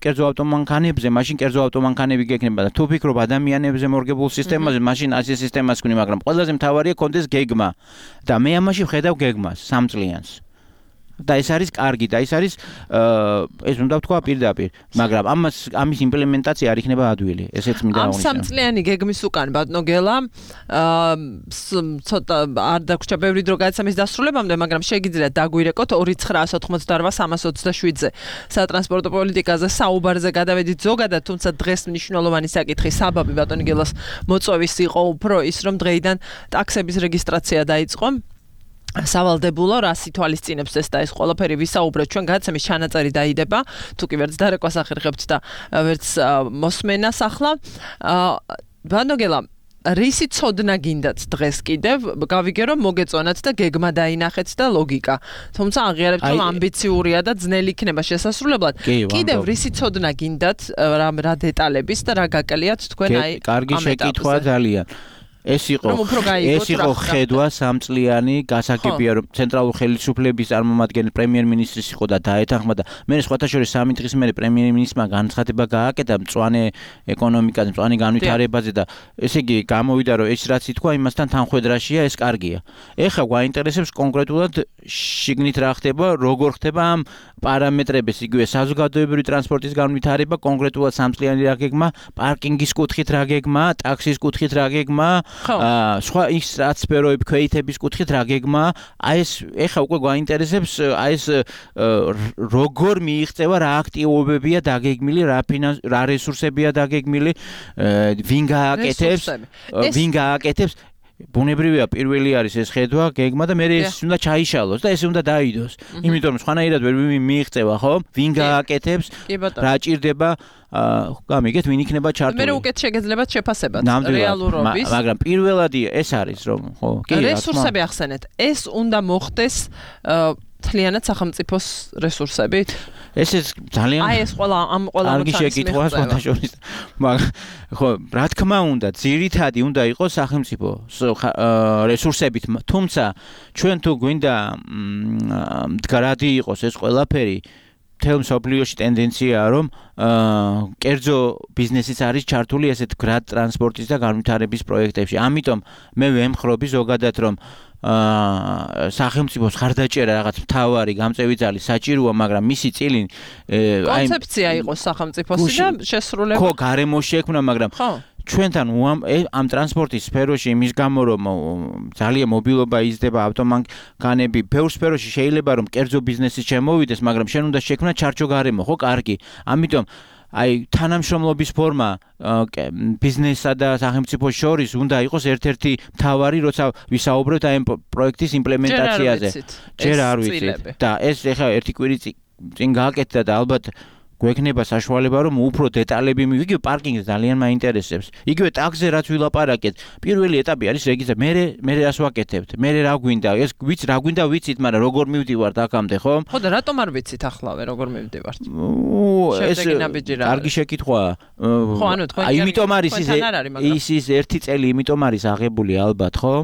კერძო ავტომანქანებზე მაშინ კერძო ავტომანქანები გექნება და თუ ფიქრობ ადამიანებზე მორგებულ სისტემაზე მაშინ ასე სისტემას გვინდა მაგრამ ყველაზე მთავარია კონდეს გეგმა და მე ამაში ვხედავ გეგმას სამწლიანს და ეს არის კარგი და ეს არის ეს უნდა ვთქვა პირდაპირ, მაგრამ ამის იმპლემენტაცია არ იქნება ადვილი. ესეც მინდა აღნიშნო. ამ სამწლიანი გეგმის უკან ბატონო გელა ცოტა არ დაგვრჩა ბევრი დრო გადაცემის დასრულებამდე, მაგრამ შეგიძლიათ დაგვირეკოთ 2988-327-ზე სატრანსპორტო პოლიტიკაზე საუბარზე გადავედით ზოგადად, თუმცა დღეს მნიშვნელოვანი საკითხი საბაბი ბატონი გელას მოწვევის იყო უფრო ის, რომ დღეიდან ტაქსების რეგისტრაცია დაიწყო. სავალდებულო რა სიტუალისწინებს ეს და ეს ყველაფერი ვისაუბრეთ ჩვენ გადაცემის ჩანაწერი დაიდება თუ კი ვერც დარეკვას ახერხებთ და ვერც მოსმენას ახლა ბატონო გელა რისი ცოდნა გინდათ დღეს კიდევ გავიგე რომ მოგეწონათ და გეგმა დაინახეთ და ლოგიკა თუმცა აღიარებთ რომ ამბიციურია და ძნელი იქნება შესასრულებლად კიდევ რისი ცოდნა გინდათ რა დეტალების და რა გაკლიათ თქვენ აი კარგი შეკითხვა ძალიან ეს იყო ხედვა სამწლიანი გასაგებია რომ ცენტრალური ხელისუფლების წარმომადგენელი პრემიერ-მინისტრის იყო და დაეთანხმა და მე სხვათა შორის 3 დღის მერე პრემიერ-მინისტრმა განცხადება გააკეთა მწვანე ეკონომიკაზე, მწვანე განვითარებაზე და ესე იგი გამოვიდა რომ ეს რაც ითქვა იმასთან თანხვედრაშია ეს კარგია. ეხლა გვაინტერესებს კონკრეტულად შიგნით რა ხდება, როგორ ხდება ამ პარამეტრების, იგივე საზოგადოებრივი ტრანსპორტის განვითარება, კონკრეტულად სამწლიანი რა გეგმა, პარკინგის კუთხით რა გეგმა, ტაქსის კუთხით რა გეგმა სხვა ის რაც სფეროები ქვეითების კუთხით რა გეგმა აი ეს ეხა უკვე გვაინტერესებს აი ეს როგორ მიიღწევა რა აქტივობებია დაგეგმილი რა რესურსებია დაგეგმილი ვინ გააკეთებს ბუნებრივია პირველი არის ეს ხედვა გეგმა და მე ეს უნდა ჩაიშალოს და ეს უნდა დაიდოს იმიტომ რომ სხვანაირად ვერ მიიღწევა ხო ვინ გააკეთებს რა ჭირდება გამიგეთ ვინ იქნება ჩართული მე უკეთ შეგეძლებათ შეფასებად რეალურობის მაგრამ პირველადი ეს არის რომ ხო კი რესურსები ახსენეთ ეს უნდა მოხდეს თლიანად სახელმწიფოს რესურსებით ეს ძალიან აი ეს ყველა კარგი შეკითხვაა სხვათა შორის მაგრამ ხო რა თქმა უნდა ძირითადი უნდა იყოს სახელმწიფო რესურსებით თუმცა ჩვენ თუ გვინდა მდგრადი იყოს ეს ყველაფერი თელ მსოფლიოში ტენდენციაა რომ კერძო ბიზნესიც არის ჩართული ესეთ გრად ტრანსპორტის და განვითარების პროექტებში. ამიტომ მე ვემხრობი ზოგადად რომ სახელმწიფოს ხარდაჭერა რაღაც მთავარი გამწევი ძალი საჭიროა, მაგრამ მისი წილი კონცეფცია იყოს სახელმწიფოსი და შესრულება. ხო, გარემო შექმნა, მაგრამ ჩვენთან ამ ტრანსპორტის სფეროში იმის გამო რომ ძალიან მობილობა იზრდება ავტომანქანები ბევრ სფეროში შეიძლება რომ კერძო ბიზნესი შემოვიდეს მაგრამ შენ უნდა შექმნა ჩარჩო გარემო ხო კარგი ამიტომ აი თანამშრომლობის ფორმა ბიზნესსა და სახელმწიფოს შორის უნდა იყოს ერთ-ერთი მთავარი როცა ვისაუბრებთ აი პროექტის იმპლემენტაციაზე ჯერ არ ვიცით და ეს ეხლა ერთი კვირი წინ გააკეთდა და ალბათ გვექნება საშუალება რომ უფრო დეტალები იგივე პარკინგზე ძალიან მაინტერესებს. იგივე ტაქსზე რაც ვილაპარაკეთ, პირველი ეტაპი არის რეგისტრაცია. მე რას ვაკეთებთ? მე რა გვინდა? ეს რა გვინდა ვიცით, მაგრამ როგორ მივდივართ აქამდე, ხო? ხო და რატომ არ ვიცითახლავე როგორ მივდივართ? ეს კარგი შეკითხვაა. ხო, ანუ თქვენ იმიტომ არის ის ერთი წელი იმიტომ არის აღებული ალბათ, ხო?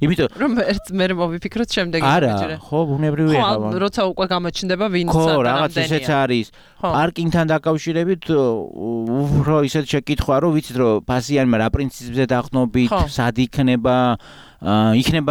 იმიტომ რომ მე მოვიფიქროთ შემდეგი არა ხო ბუნებრივია ხო როცა უკვე გამოჩნდება ვინც ხო რაღაც ესეც არის პარკინგთან დაკავშირებით უფრო ისეთ შეკითხვა რომ ვიცით რომ ფასიანმა რა პრინციპზე დაყნობით სად იქნება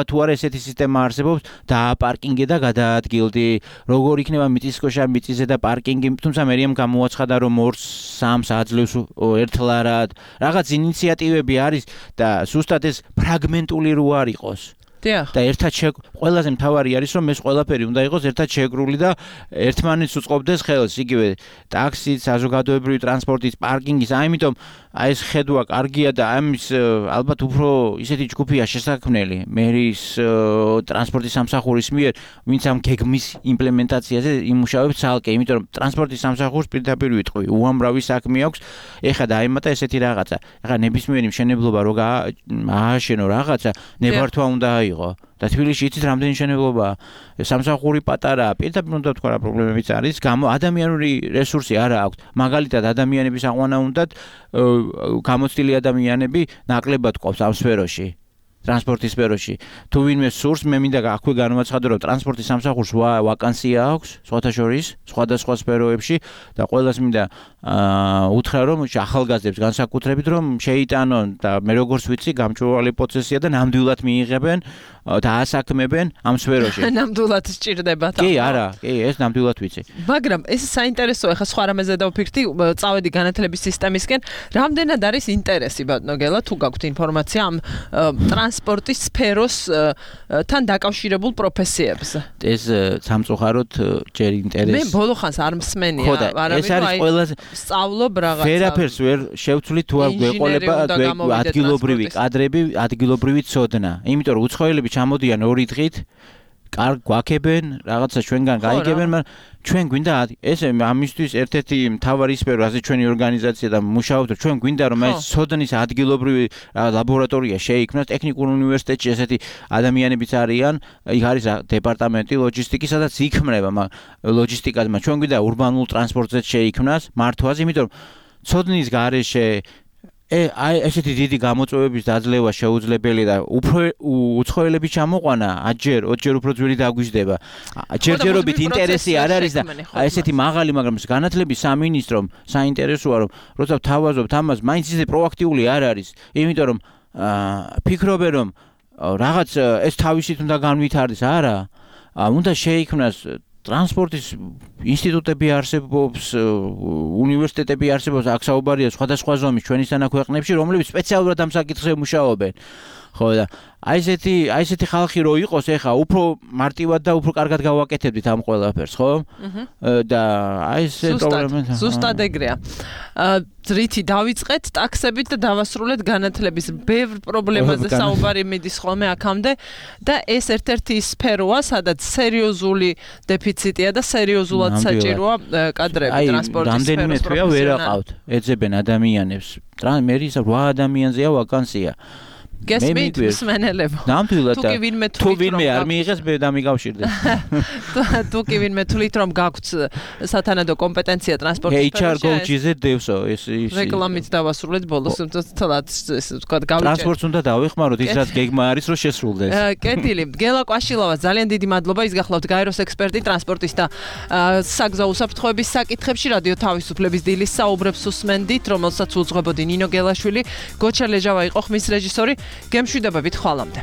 თუ არა ესეთი სისტემა არსებობს დააპარკინგე და გადაადგილდი როგორ იქნება მიწისქვეშა მიწისზე და პარკინგი თუმცა მერიამ გამოაცხადა რომ 2-3 აძლევს ერთლარად რაღაც ინიციატივები არის და ზუსტად ეს ფრაგმენტული რო არ იყოს და ერთად ყველაზე მთავარი არის რომ ეს ყველაფერი უნდა იყოს ერთად შეგრული და ერთმანეთს უწყობდეს ხელს იგივე ტაქსის საზოგადოებრივი ტრანსპორტის პარკინგის ამიტომ აი ეს ხედვა კარგია და ამის ალბათ უფრო ისეთი ჯგუფია შესაქმნელი მერის ტრანსპორტის სამსახურის მიერ ვინც ამ გეგმის იმპლემენტაციაზე იმუშავებს ცალკე იმიტომ რომ ტრანსპორტის სამსახურს პირდაპირ ვიტყვი უამრავი საქმე აქვს ეხლა დაემატა ესეთი რაღაცა ეხლა ნებისმიერი მშენებლობა რო ააშენო რაღაცა ნებართვა უნდა და თბილისში იცით რამდენი მშენებლობაა სამსახური პატარაა პირდაპირ უნდა თქვა რა პრობლემებიც არის ადამიანური რესურსი არა აქვს მაგალითად ადამიანების აყვანა უნდათ გამოცდილი ადამიანები ნაკლებად ყოფს ამ სფეროში ტრანსპორტის სფეროში. თუ ვინმე სურს, მე მინდა აქვე განვაცხადო, რომ ტრანსპორტის სამსახურს ვაკანსია აქვს სხვათა შორის, სხვადასხვა სფეროებში და ყველას მინდა უთხრა, რომ ახალგაზრდებს განსაკუთრებით რომ შეიტანონ და მე როგორც ვიცი, გამჭვირვალე პროცესია და ნამდვილად მიიღებენ და ასაქმებენ ამ სფეროში. ნამდვილად სჭირდება თან. კი, არა, კი, ეს ნამდვილად ვიცი. მაგრამ ეს საინტერესოა, ხა სხვა რამეზე დავფიქრდი, წავედი განათლების სისტემისკენ, რამდენად არის ინტერესი ბატონო თუ გაქვთ ინფორმაცია ამ ტრანსპორტის სფეროს თან დაკავშირებულ პროფესიებზე. ეს სამწუხაროდ ჯერ ინტერესი. მე ბოლო ხანს არ მსმენია, ეს არის ყველაზე სწავლობ რაღაცა. ვერაფერს ვერ შევცვლი თუ არ გვეყოლება ადგილობრივი კადრები, ადგილობრივი ცოდნა. იმიტომ რომ უცხოელები ჩამოდიან 2 დღით, კარგ გვაქებენ, რაღაცა ჩვენგან გაიგებენ, მაგრამ ჩვენ გვინდა ესე ამისთვის ერთ-ერთი მთავარი სფერო, ასე ჩვენი ორგანიზაცია და მუშაობთ, ჩვენ გვინდა რომ ეს ცოდნის ადგილობრივი ლაბორატორია შეიქმნას ტექნიკურ უნივერსიტეტში, ესეთი ადამიანებიც არიან, იქ არის დეპარტამენტი ლოჯისტიკის, სადაც იქმნება ლოჯისტიკაზე, მაგრამ ჩვენ გვინდა ურბანულ ტრანსპორტზეც შეიქმნას მართვაზე, იმიტომ რომ ცოდნის გარეშე აი ესეთი დიდი გამოწვევების დაძლევა შეუძლებელია და უფრო უცხოელები ჩამოყვანა, აჯერ 20 ჯერ უფრო ძვირი დაგვიждდება. ჯერჯერობით ინტერესი არ არის და ესეთი მაღალი, მაგრამ განათლების სამინისტრომ საინტერესოა რომ როცა თავაზობთ ამას, მაინც ისე პროაქტიული არ არის. იმიტომ რომ ფიქრობენ რომ რაღაც ეს თავისით უნდა განვითარდეს, არა. უნდა შეიქმნას ტრანსპორტის ინსტიტუტები არსებობს, უნივერსიტეტები არსებობს, აქ საუბარია სხვადასხვა ზომის ჩვენისთანა ქვეყნებში, რომლებიც სპეციალურად ამ საკითხზე მუშაობენ. ხო და აი ესეთი ხალხი რო იყოს, ეხა უფრო მარტივად და უფრო კარგად გავაკეთებდით ამ ყველაფერს, ხო? და აი ესე პრობლემა. ზუსტად ეგრეა. ძრითი დავიწყეთ ტაქსებით და დავასრულეთ განათლების ბევრ პრობლემაზე საუბარი მიდის ხოლმე აქამდე და ეს ერთ-ერთი სფეროა, სადაც სერიოზული დეფიციტია და სერიოზულად საჭიროა კადრები ტრანსპორტის სფეროს. რამდენიმე თვეა ვერ აყავთ, ეძებენ ადამიანებს. მე ის 8 ადამიანზეა ვაკანსია. გესმით მსმენელებო. ნამდვილად თუ ვინმე არ მიიღეს, მე დამიკავშირდეს. თუ კი ვინმე თვლით რომ გაქვთ სათანადო კომპეტენცია ტრანსპორტის HR Go-ზე დევსო ეს რეკლამით დავასრულეთ ბოლოს თლად ეს თქვა გავიჭერთ. ტრანსპორტს უნდა დავეხმაროთ ის რაც გეგმა არის რომ შესრულდეს. კეთილი, გელა კვაშილავა ძალიან დიდი მადლობა, ის გახლავთ გაეროს ექსპერტი ტრანსპორტის და საგზაო უსაფრთხოების საკითხებში რადიო თავისუფლების დილის საუბრებს უსმენდით, რომელსაც უძღვებოდი ნინო გელაშვილი, გოჩა ლეჟავა იყო ხმის რეჟისორი. გემშვიდობებით ხვალამდე.